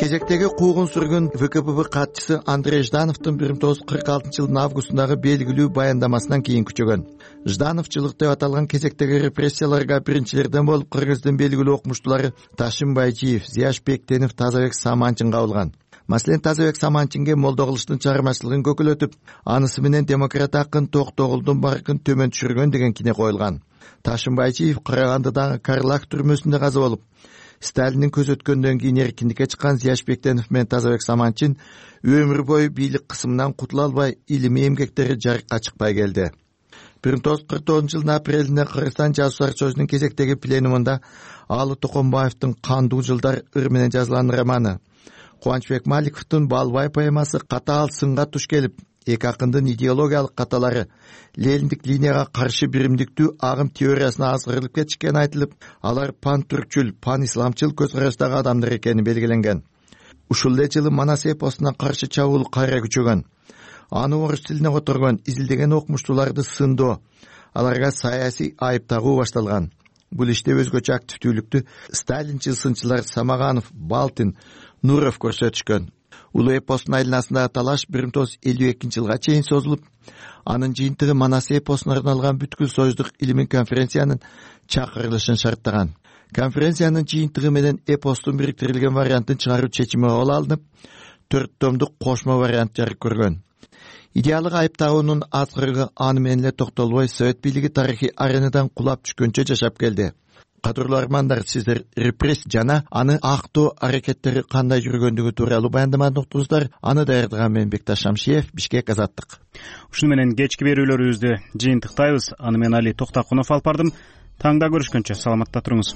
кезектеги куугун сүргөн ВКПБ катчысы Андрей Ждановдун 1946-жылдын августундагы белгилүү баяндамасынан кийин күчөгөн. Ждановчулук деп аталган кезектеги репрессияларга биринчилерден болуп Кыргыздын белгилүү окумуштуулары Ташим Байжиев, Зияш Бектенов, Тазабек Саманчын кабылган. Маселен, Тазабек Саманчинге молдо кылыштын чыгармачылыгын көкөлөтүп, анысы менен демократ акын Токтогулдун баркын төмөн түшүргөн деген кине коюлган. Ташим Байжиев Карагандыдагы Карлак түрмөсүндө каза болуп, Сталиндин көз өткөндөн кийин эркиндикке чыккан Зияш Бектенов менен Тазабек Саманчин өмүр бою бийлик кысымынан кутула албай, илимий эмгектери жарыкка чыкпай келди. 1949-жылдын апрелинде Кыргызстан жазуучулар сөзүнүн кезектеги пленумунда Алы Токомбаевдин Кандуу жылдар ыр менен жазылган романы, Кубанычбек Маликовдун Балбай поэмасы катаал сынга туш келип, эки акындын идеологиялык каталары Лениндик линияга каршы биримдиктүү агым теориясына азгырылып кетишкени айтылып, алар пан-түркчүл, пан-исламчыл көз караштагы адамдар экени белгиленген. Ушул эле жылы Манас эпосуна каршы чабуул кайра күчөгөн. Аны орус тилине которгон изилдеген окумуштууларды сындоо, аларга саясий айып тагуу башталган. Бул иште өзгөчө активдүүлүктү сталинчил сынчылар Самаганов, Балтин, Нуров көрсөтүшкөн. Улуу эпостун айланасындагы талаш 1952-жылга чейин созулуп, анын жыйынтыгы Манас эпосуна арналган бүткүл союздук илимий конференциянын чакырылышын шарттаган. Конференциянын жыйынтыгы менен эпостун бириктирилген вариантын чыгаруу чечими кабыл алынып, 4 томдук кошмо вариант жарык көргөн. Идеалык айыптоонун азгырыгы аны менен эле токтолбой Совет бийлиги тарыхый аренадан кулап түшкөнчө жашап келди. Кадырлуу армандар, сиздер репрессия жана аны актоо аракеттери кандай жүргөндүгү тууралуу баяндаманы уктуңуздар. Аны даярдаган мен Бекташ Шамшиев, Бишкек, Азаттык. Ушуну менен кечки берүүлөрүбүздү жыйынтыктайбыз. Аны мен Али Токтакунов алып бардым. Таңда көрүшкөнчө саламатта туруңуз.